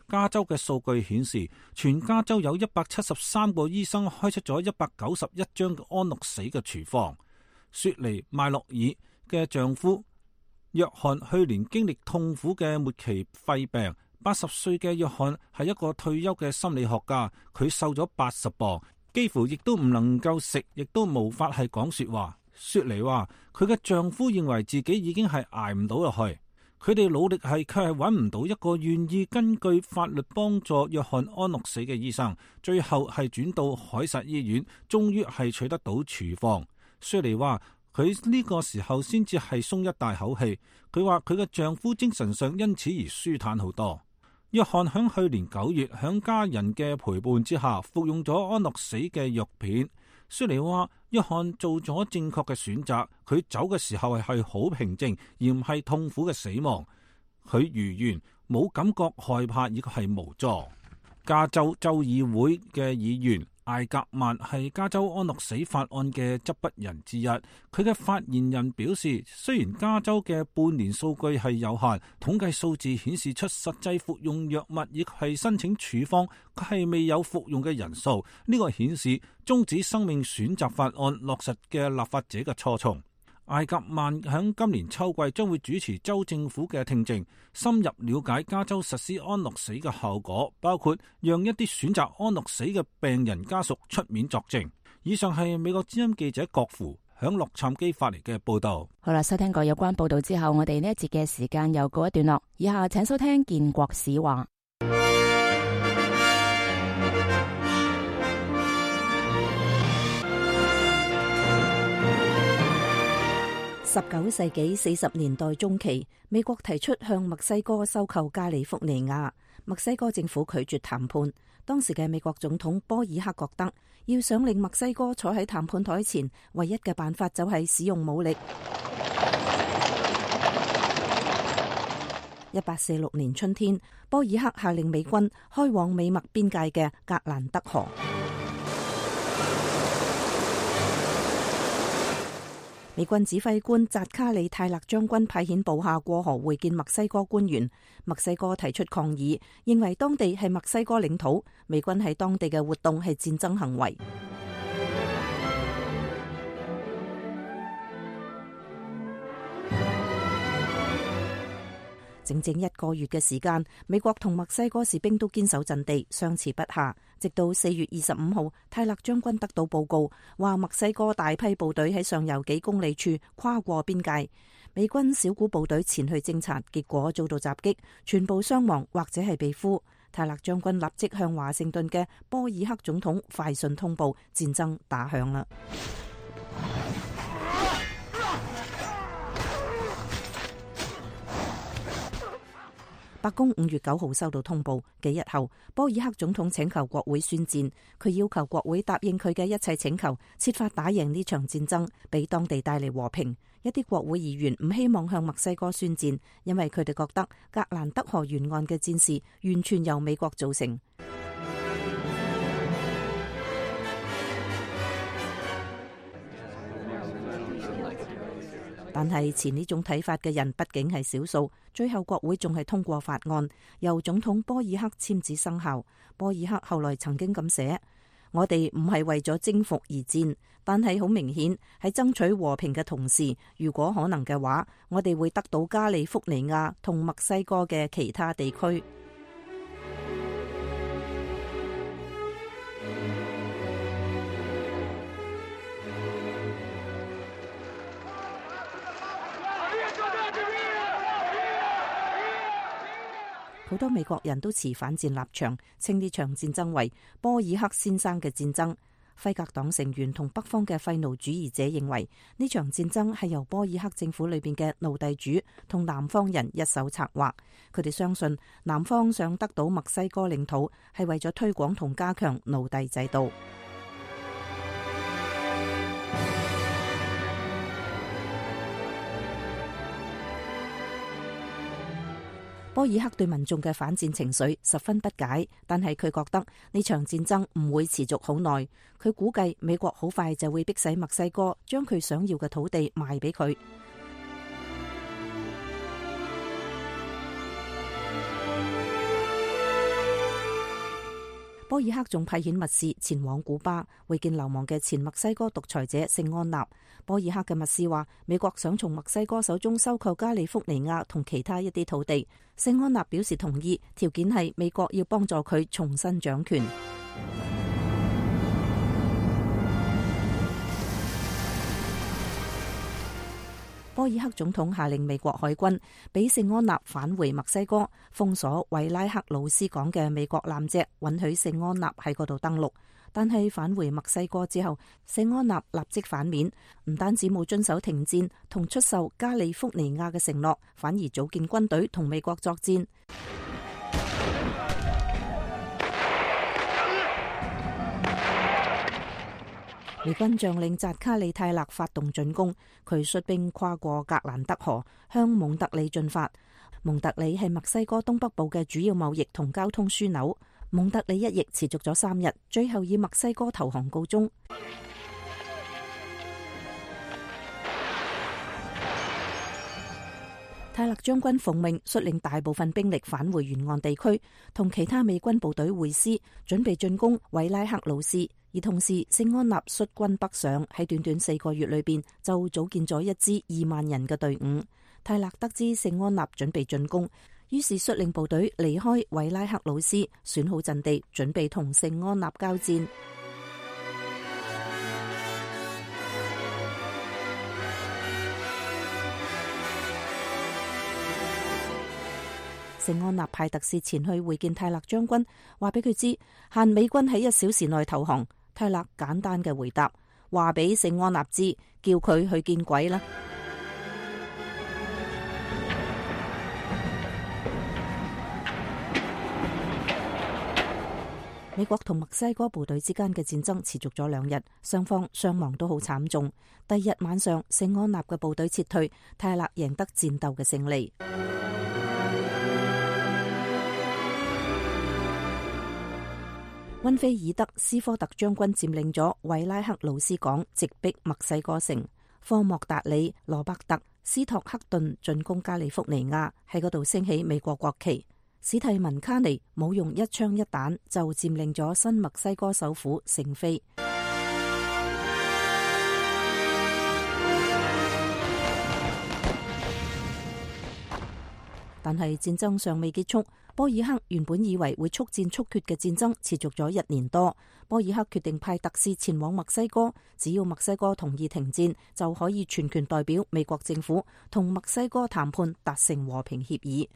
加州嘅數據顯示，全加州有173個醫生開出咗191張安樂死嘅處方。雪梨麥洛爾嘅丈夫約翰去年經歷痛苦嘅末期肺病，80歲嘅約翰係一個退休嘅心理學家，佢瘦咗80磅。幾乎亦都唔能夠食，亦都無法係講說話。雪梨話佢嘅丈夫認為自己已經係捱唔到落去，佢哋努力係卻係揾唔到一個願意根據法律幫助約翰安樂死嘅醫生，最後係轉到凱撒醫院，終於係取得到處方。雪梨話佢呢個時候先至係鬆一大口氣，佢話佢嘅丈夫精神上因此而舒坦好多。約翰響去年9月響家人嘅陪伴之下服用咗安樂死嘅藥片。雪梨話約翰做咗正確嘅選擇，佢走嘅時候係好平靜，而唔係痛苦嘅死亡。佢如願，冇感覺害怕，亦係無助。加州州議會嘅議員艾格曼係加州安樂死法案嘅執筆人之一。佢嘅發言人表示，雖然加州嘅半年數據係有限，統計數字顯示出實際服用藥物亦係申請處方，佢係未有服用嘅人數。呢個顯示終止生命選擇法案落實嘅立法者嘅初衷。艾格曼喺今年秋季將會主持州政府嘅聽證，深入了解加州實施安樂死嘅效果，包括讓一啲選擇安樂死嘅病人家屬出面作證。以上係美國之音記者郭芙響洛杉磯發嚟嘅報道。好啦，收聽過有關報道之後，我哋呢一節嘅時間又告一段落。以下請收聽建國史話。19世紀40年代中期，美國提出向墨西哥收購加利福尼亞，墨西哥政府拒絕談判。當時嘅美國總統波爾克覺得，要想令墨西哥坐喺談判台前，唯一嘅辦法就係使用武力。1846年春天，波爾克下令美軍開往美墨邊界嘅格蘭德河。美軍指揮官扎卡里泰勒將軍派遣部下過河會見墨西哥官員，墨西哥提出抗議，認為當地係墨西哥領土，美軍喺當地嘅活動係戰爭行為。整整1個月嘅時間，美國同墨西哥士兵都堅守陣地，相持不下。直到4月25號，泰勒將軍得到報告，話墨西哥大批部隊喺上游幾公里處跨過邊界。美軍小股部隊前去偵察，結果遭到襲擊，全部傷亡或者係被俘。泰勒將軍立即向華盛頓嘅波爾克總統快信通報，戰爭打響啦。白宮5月9號收到通報，幾日後，波爾克總統請求國會宣戰，佢要求國會答應佢嘅一切請求，設法打贏呢場戰爭，俾當地帶嚟和平。一啲國會議員唔希望向墨西哥宣戰，因為佢哋覺得格蘭德河沿岸嘅戰事完全由美國造成。但係持呢種睇法嘅人畢竟係少數，最後國會仲係通過法案，由總統波爾克簽字生效。波爾克後來曾經咁寫：我哋唔係為咗征服而戰，但係好明顯喺爭取和平嘅同時，如果可能嘅話，我哋會得到加利福尼亞同墨西哥嘅其他地區。好多美國人都持反戰立場，稱呢場戰爭為波爾克先生嘅戰爭。輝格黨成員同北方嘅廢奴主義者認為呢場戰爭係由波爾克政府裏邊嘅奴隸主同南方人一手策劃。佢哋相信南方想得到墨西哥領土係為咗推廣同加強奴隸制度。波爾克對民眾嘅反戰情緒十分不解，但係佢覺得呢場戰爭唔會持續好耐。佢估計美國好快就會逼使墨西哥將佢想要嘅土地賣俾佢。波爾克仲派遣密使前往古巴會見流亡嘅前墨西哥獨裁者聖安納。波爾克嘅密使話，美國想從墨西哥手中收購加利福尼亞同其他一啲土地。聖安納表示同意，條件係美國要幫助佢重新掌權。波爾克總統下令美國海軍俾聖安納返回墨西哥，封鎖維拉克魯斯港嘅美國艦隻，允許聖安納喺嗰度登陸。但係返回墨西哥之後，聖安納立即反面，唔單止冇遵守停戰同出售加利福尼亞嘅承諾，反而組建軍隊同美國作戰。美軍將領扎卡里泰勒發動進攻，佢率兵跨過格蘭德河，向蒙特利進發。蒙特利係墨西哥東北部嘅主要貿易同交通樞紐。蒙特利一役持續咗3日，最後以墨西哥投降告終。泰勒將軍奉命率領大部分兵力返回沿岸地區，同其他美軍部隊會師，準備進攻維拉克魯斯。而同時，聖安納率軍北上，喺短短4個月裏邊就組建咗一支2萬人嘅隊伍。泰勒得知聖安納準備進攻，於是率領部隊離開維拉克魯斯，選好陣地，準備同聖安納交戰。聖安納派特使前去會見泰勒將軍，話俾佢知限美軍喺1小時內投降。泰勒簡單嘅回答，話俾聖安納知，叫佢去見鬼啦。美國同墨西哥部隊之間嘅戰爭持續咗2日，雙方傷亡都好慘重。第2日晚上，聖安納嘅部隊撤退，泰勒贏得戰鬥嘅勝利。溫菲爾德斯科特將軍佔領咗維拉克魯斯港，直逼墨西哥城。科莫達里、羅伯特、斯托克頓進攻加利福尼亞，喺嗰度升起美國國旗。史蒂文卡尼冇用一槍一彈就佔領咗新墨西哥首府聖菲。但係戰爭尚未結束。波爾克原本以為會速戰速決嘅戰爭持續咗1年多。波爾克決定派特使前往墨西哥，只要墨西哥同意停戰，就可以全權代表美國政府同墨西哥談判達成和平協議。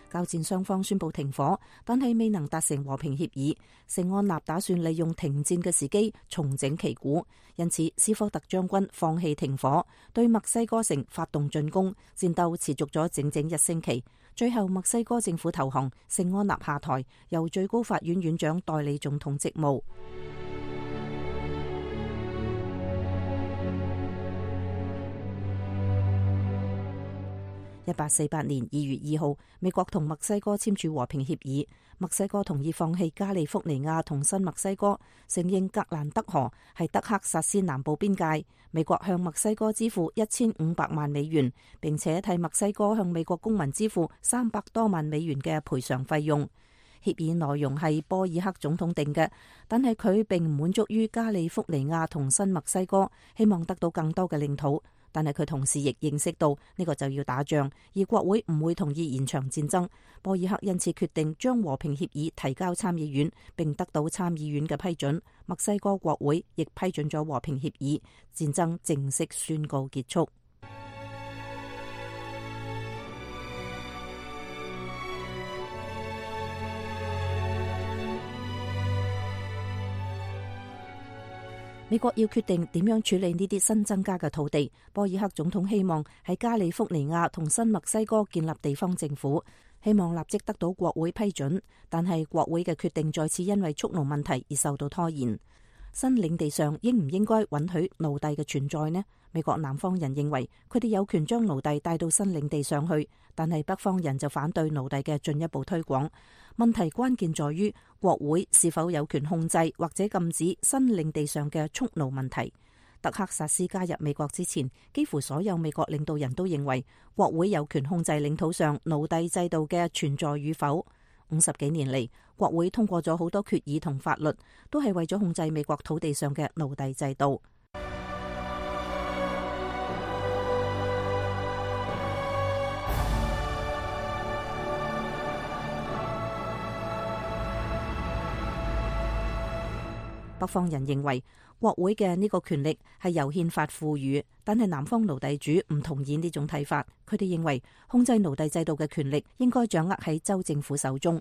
交戰雙方宣布停火，但係未能達成和平協議。聖安納打算利用停戰嘅時機重整旗鼓，因此斯科特將軍放棄停火，對墨西哥城發動進攻，戰鬥持續咗整整1星期。最後墨西哥政府投降，聖安納下台，由最高法院院長代理總統職務。1848年2月2號，美國同墨西哥簽署和平協議。墨西哥同意放棄加利福尼亞同新墨西哥，承認格蘭德河係德克薩斯南部邊界。美國向墨西哥支付1500萬美元，並且替墨西哥向美國公民支付300多萬美元嘅賠償費用。協議內容係波爾克總統定嘅，但係佢並唔滿足於加利福尼亞同新墨西哥，希望得到更多嘅領土。但係佢同時亦認識到呢個就要打仗，而國會唔會同意延長戰爭。波爾克因此決定將和平協議提交參議院，並得到參議院嘅批准。墨西哥國會亦批准咗和平協議，戰爭正式宣告結束。美國要決定點樣處理呢啲新增加嘅土地。波爾克總統希望喺加利福尼亞同新墨西哥建立地方政府，希望立即得到國會批准。但係國會嘅決定再次因為蓄奴問題而受到拖延。新領地上應唔應該允許奴隸嘅存在呢？美國南方人認為佢哋有權將奴隸帶到新領地上去，但係北方人就反對奴隸嘅進一步推廣。問題關鍵在於國會是否有權控制或者禁止新領地上嘅蓄奴問題。德克薩斯加入美國之前，幾乎所有美國領導人都認為國會有權控制領土上奴隸制度嘅存在與否。50幾年嚟，國會通過咗好多決議同法律，都係為咗控制美國土地上嘅奴隸制度。北方人認為國會嘅呢個權力係由憲法賦予，但係南方奴隸主唔同意呢種睇法。佢哋認為控制奴隸制度嘅權力應該掌握喺州政府手中。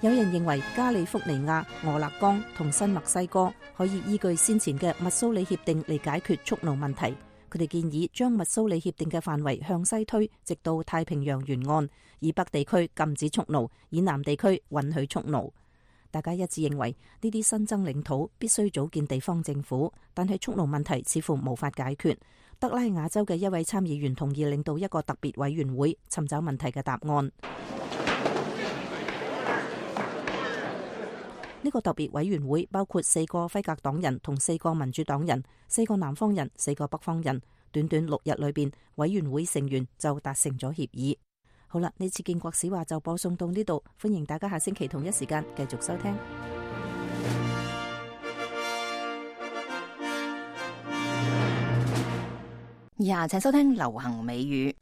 有人認為加利福尼亞、俄勒岡同新墨西哥可以依據先前嘅密蘇里協定嚟解決蓄奴問題。佢哋建議將密蘇里協定嘅範圍向西推，直到太平洋沿岸，以北地區禁止蓄奴，以南地區允許蓄奴。大家一致認為呢啲新增領土必須組建地方政府，但係蓄奴問題似乎無法解決。德拉瓦州嘅一位參議員同意領導一個特別委員會，尋找問題嘅答案。呢個特別委員會包括4個輝格黨人同4個民主黨人，4個南方人，4個北方人。短短6日裏邊，委員會成員就達成咗協議。好啦，呢次建國史話就播送到呢度，歡迎大家下星期同一時間繼續收聽。以下請收聽流行美語。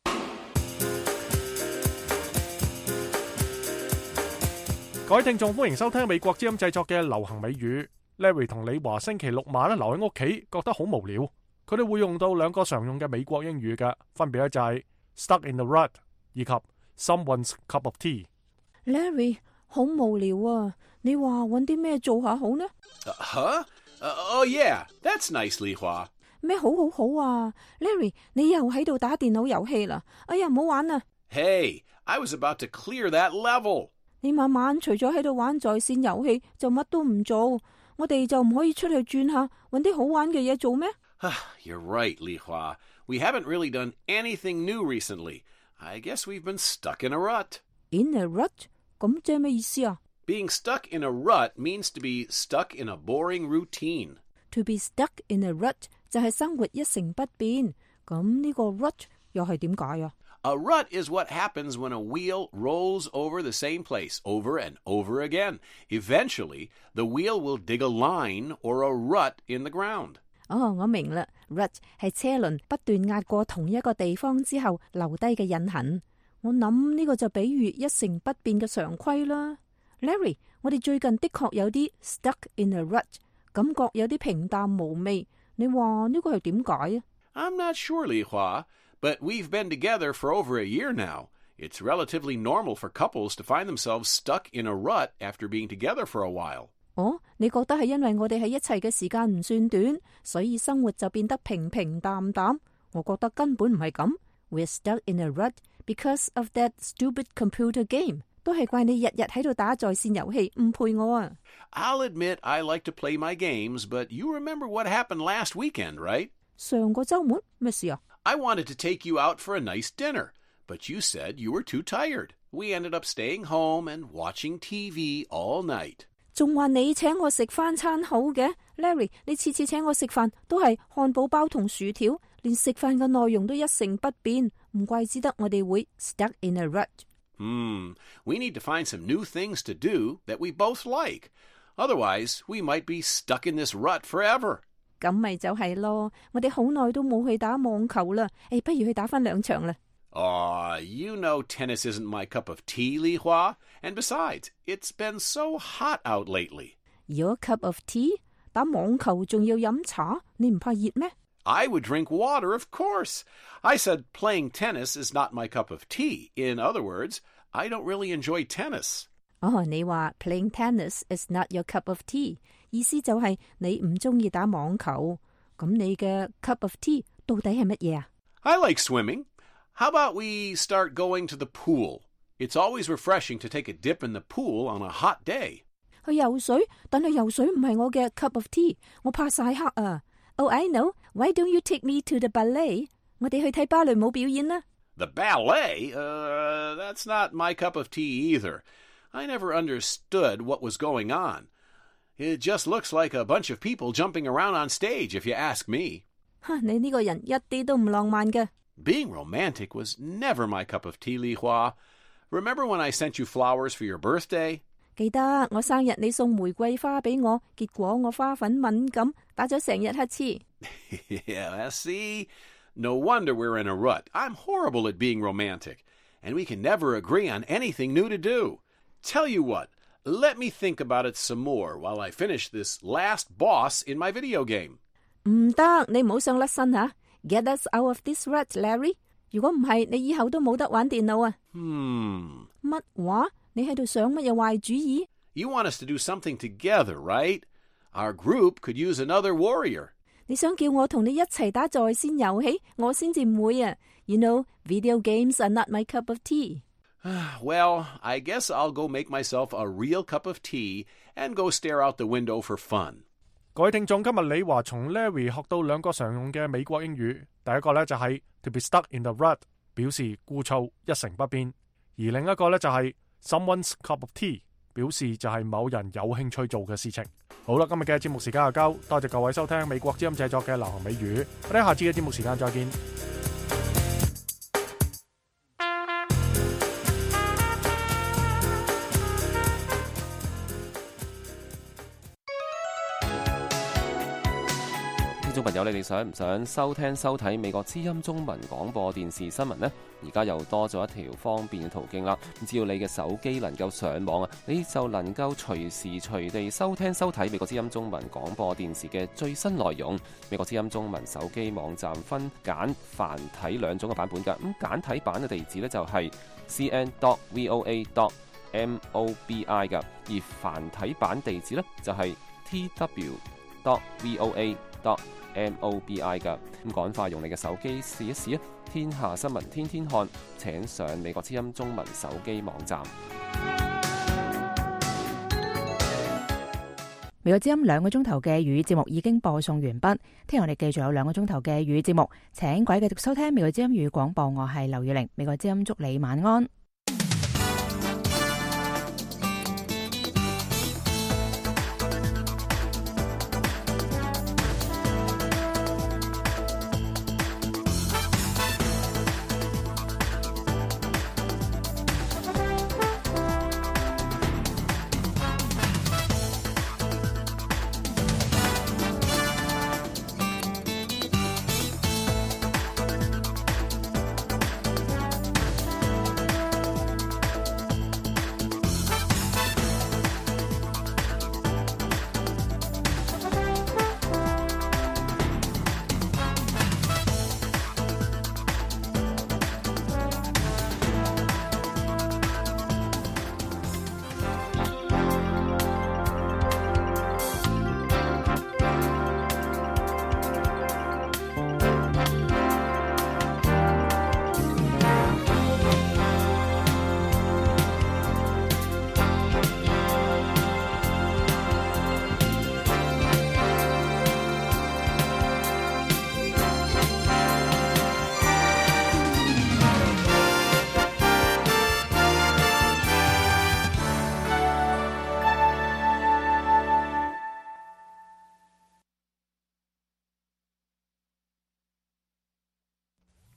各位聽眾，歡迎收聽美國之音製作嘅流行美語。Larry 同李華星期六晚留喺屋企，覺得好無聊。佢哋會用到2個常用嘅美國英語嘅，分別咧就係 stuck in the rut 以及 someone's cup of tea。Larry 好無聊啊！你話搵啲咩做下好呢？Oh yeah, that's nice, 李華。咩好啊 ？Larry， 你又喺度打電腦遊戲啦？哎呀，唔好玩啊 ！Hey, I was about to clear that level。你晚晚除咗喺度玩在線遊戲，就乜都唔做。我哋就唔可以出去轉下，搵啲好玩嘅嘢做咩？You're right, 李華。We haven't really done anything new recently. I guess we've been stuck in a rut. In a rut？ 咁即係咩意思啊？ Being stuck in a rut means to be stuck in a boring routine. To be stuck in a rut 就係生活一成不變。咁呢個 rut 又係點解啊 A rut is what happens when a wheel rolls over the same place over and over again. Eventually, the wheel will dig a line or a rut in the ground. 我明啦 ，rut 係車輪不斷壓過同一個地方之後留低嘅印痕。我諗呢個就比喻一成不變嘅常規啦。Larry， 我哋最近的確有啲 stuck in a rut， 感覺有啲平淡無味。你話呢個係點解啊？ I'm not sure, Li Hua, but we've been together for over a year now. It's relatively normal for couples to find themselves stuck in a rut after being together for a while. 你覺得係因為我哋喺一齊嘅時間唔算短，所以生活就變得平平淡淡？我覺得根本唔係咁。We're stuck in a rut because of that stupid computer game. 都係怪你日日喺度打在線遊戲，唔陪我啊！ I'll admit I like to play my games, but you remember what happened last weekend, right? 上個週末咩事啊？ I wanted to take you out for a nice dinner, but you said you were too tired. We ended up staying home and watching TV all night. 仲話你請我食翻餐好嘅 ，Larry， 你次次請我食飯都係漢堡包同薯條，連食飯嘅內容都一成不變，唔怪之得我哋會 stuck in a rut。We need to find some new things to do that we both like. Otherwise, we might be stuck in this rut forever. 咁咪就係咯，我哋好耐都冇去打網球啦，不如去打翻2場啦。You know tennis isn't my cup of tea, Li Hua. And besides, it's been so hot out lately. Your cup of tea? 打網球仲要飲茶，你唔怕熱咩？ I would drink water, of course. I said playing tennis is not my cup of tea. In other words, I don't really enjoy tennis. 你話 playing tennis is not your cup of tea， 意思就係你唔中意打網球。咁你嘅 cup of tea 到底係乜嘢啊？ I like swimming. How about we start going to the pool? It's always refreshing to take a dip in the pool on a hot day. 去游水，但係游水唔係我嘅 cup of tea， 我怕曬黑啊。Oh, I know. Why don't you take me to the ballet? 我哋去睇芭蕾舞表演啦。The ballet? That's not my cup of tea either. I never understood what was going on. It just looks like a bunch of people jumping around on stage, if you ask me. 你呢個人一啲都唔浪漫嘅。Being romantic was never my cup of tea, Li Hua. Remember when I sent you flowers for your birthday? 記得我生日你送玫瑰花俾我，結果我花粉敏感，打咗成日乞嗤。Yeah, see? No wonder we're in a rut. I'm horrible at being romantic. And we can never agree on anything new to do. Tell you what, let me think about it some more while I finish this last boss in my video game. 唔得，你唔好想甩身吓。Get us out of this rut, Larry. 如果唔係，你以後都冇得玩電腦啊。乜話？你喺度想乜嘢壞主意？ You want us to do something together, right? Our group could use another warrior. 你想叫我同你一齊打在線遊戲，我先至唔會啊。You know, video games are not my cup of tea. Well, I guess I'll go make myself a real cup of tea and go stare out the window for fun. 各位聽眾，今日李華從 Larry 學到2個常用嘅美國英語。第一個呢就係 to be stuck in the rut， 表示枯燥一成不變；而另一個呢就係 someone's cup of tea， 表示就係某人有興趣做嘅事情。好啦，今日嘅節目時間就夠，多謝各位收聽美國之音製作嘅流行美語。我哋下次嘅節目時間再見。聽眾朋友，你哋想唔想收聽收睇美國之音中文廣播電視新聞呢？而家又多咗一條方便嘅途徑啦！只要你嘅手機能夠上網啊，你就能夠隨時隨地收聽收睇美國之音中文廣播電視嘅最新內容。美國之音中文手機網站分簡繁體2種嘅版本㗎。咁簡體版嘅地址呢，就係 cn.voa.mobi 㗎，而繁體版地址呢，就係 tw.voa.mobi 㗎。咁趕快用你嘅手機試一試啊！天下新聞天天看，請上美國之音中文手機網站。美國之音2個鐘頭嘅粵語節目已經播送完畢，聽日我哋繼續有2個鐘頭嘅粵語節目，請各位繼續收聽美國之音粵語廣播，我係劉月玲，美國之音祝你晚安。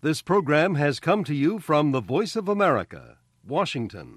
This program has come to you from the Voice of America, Washington.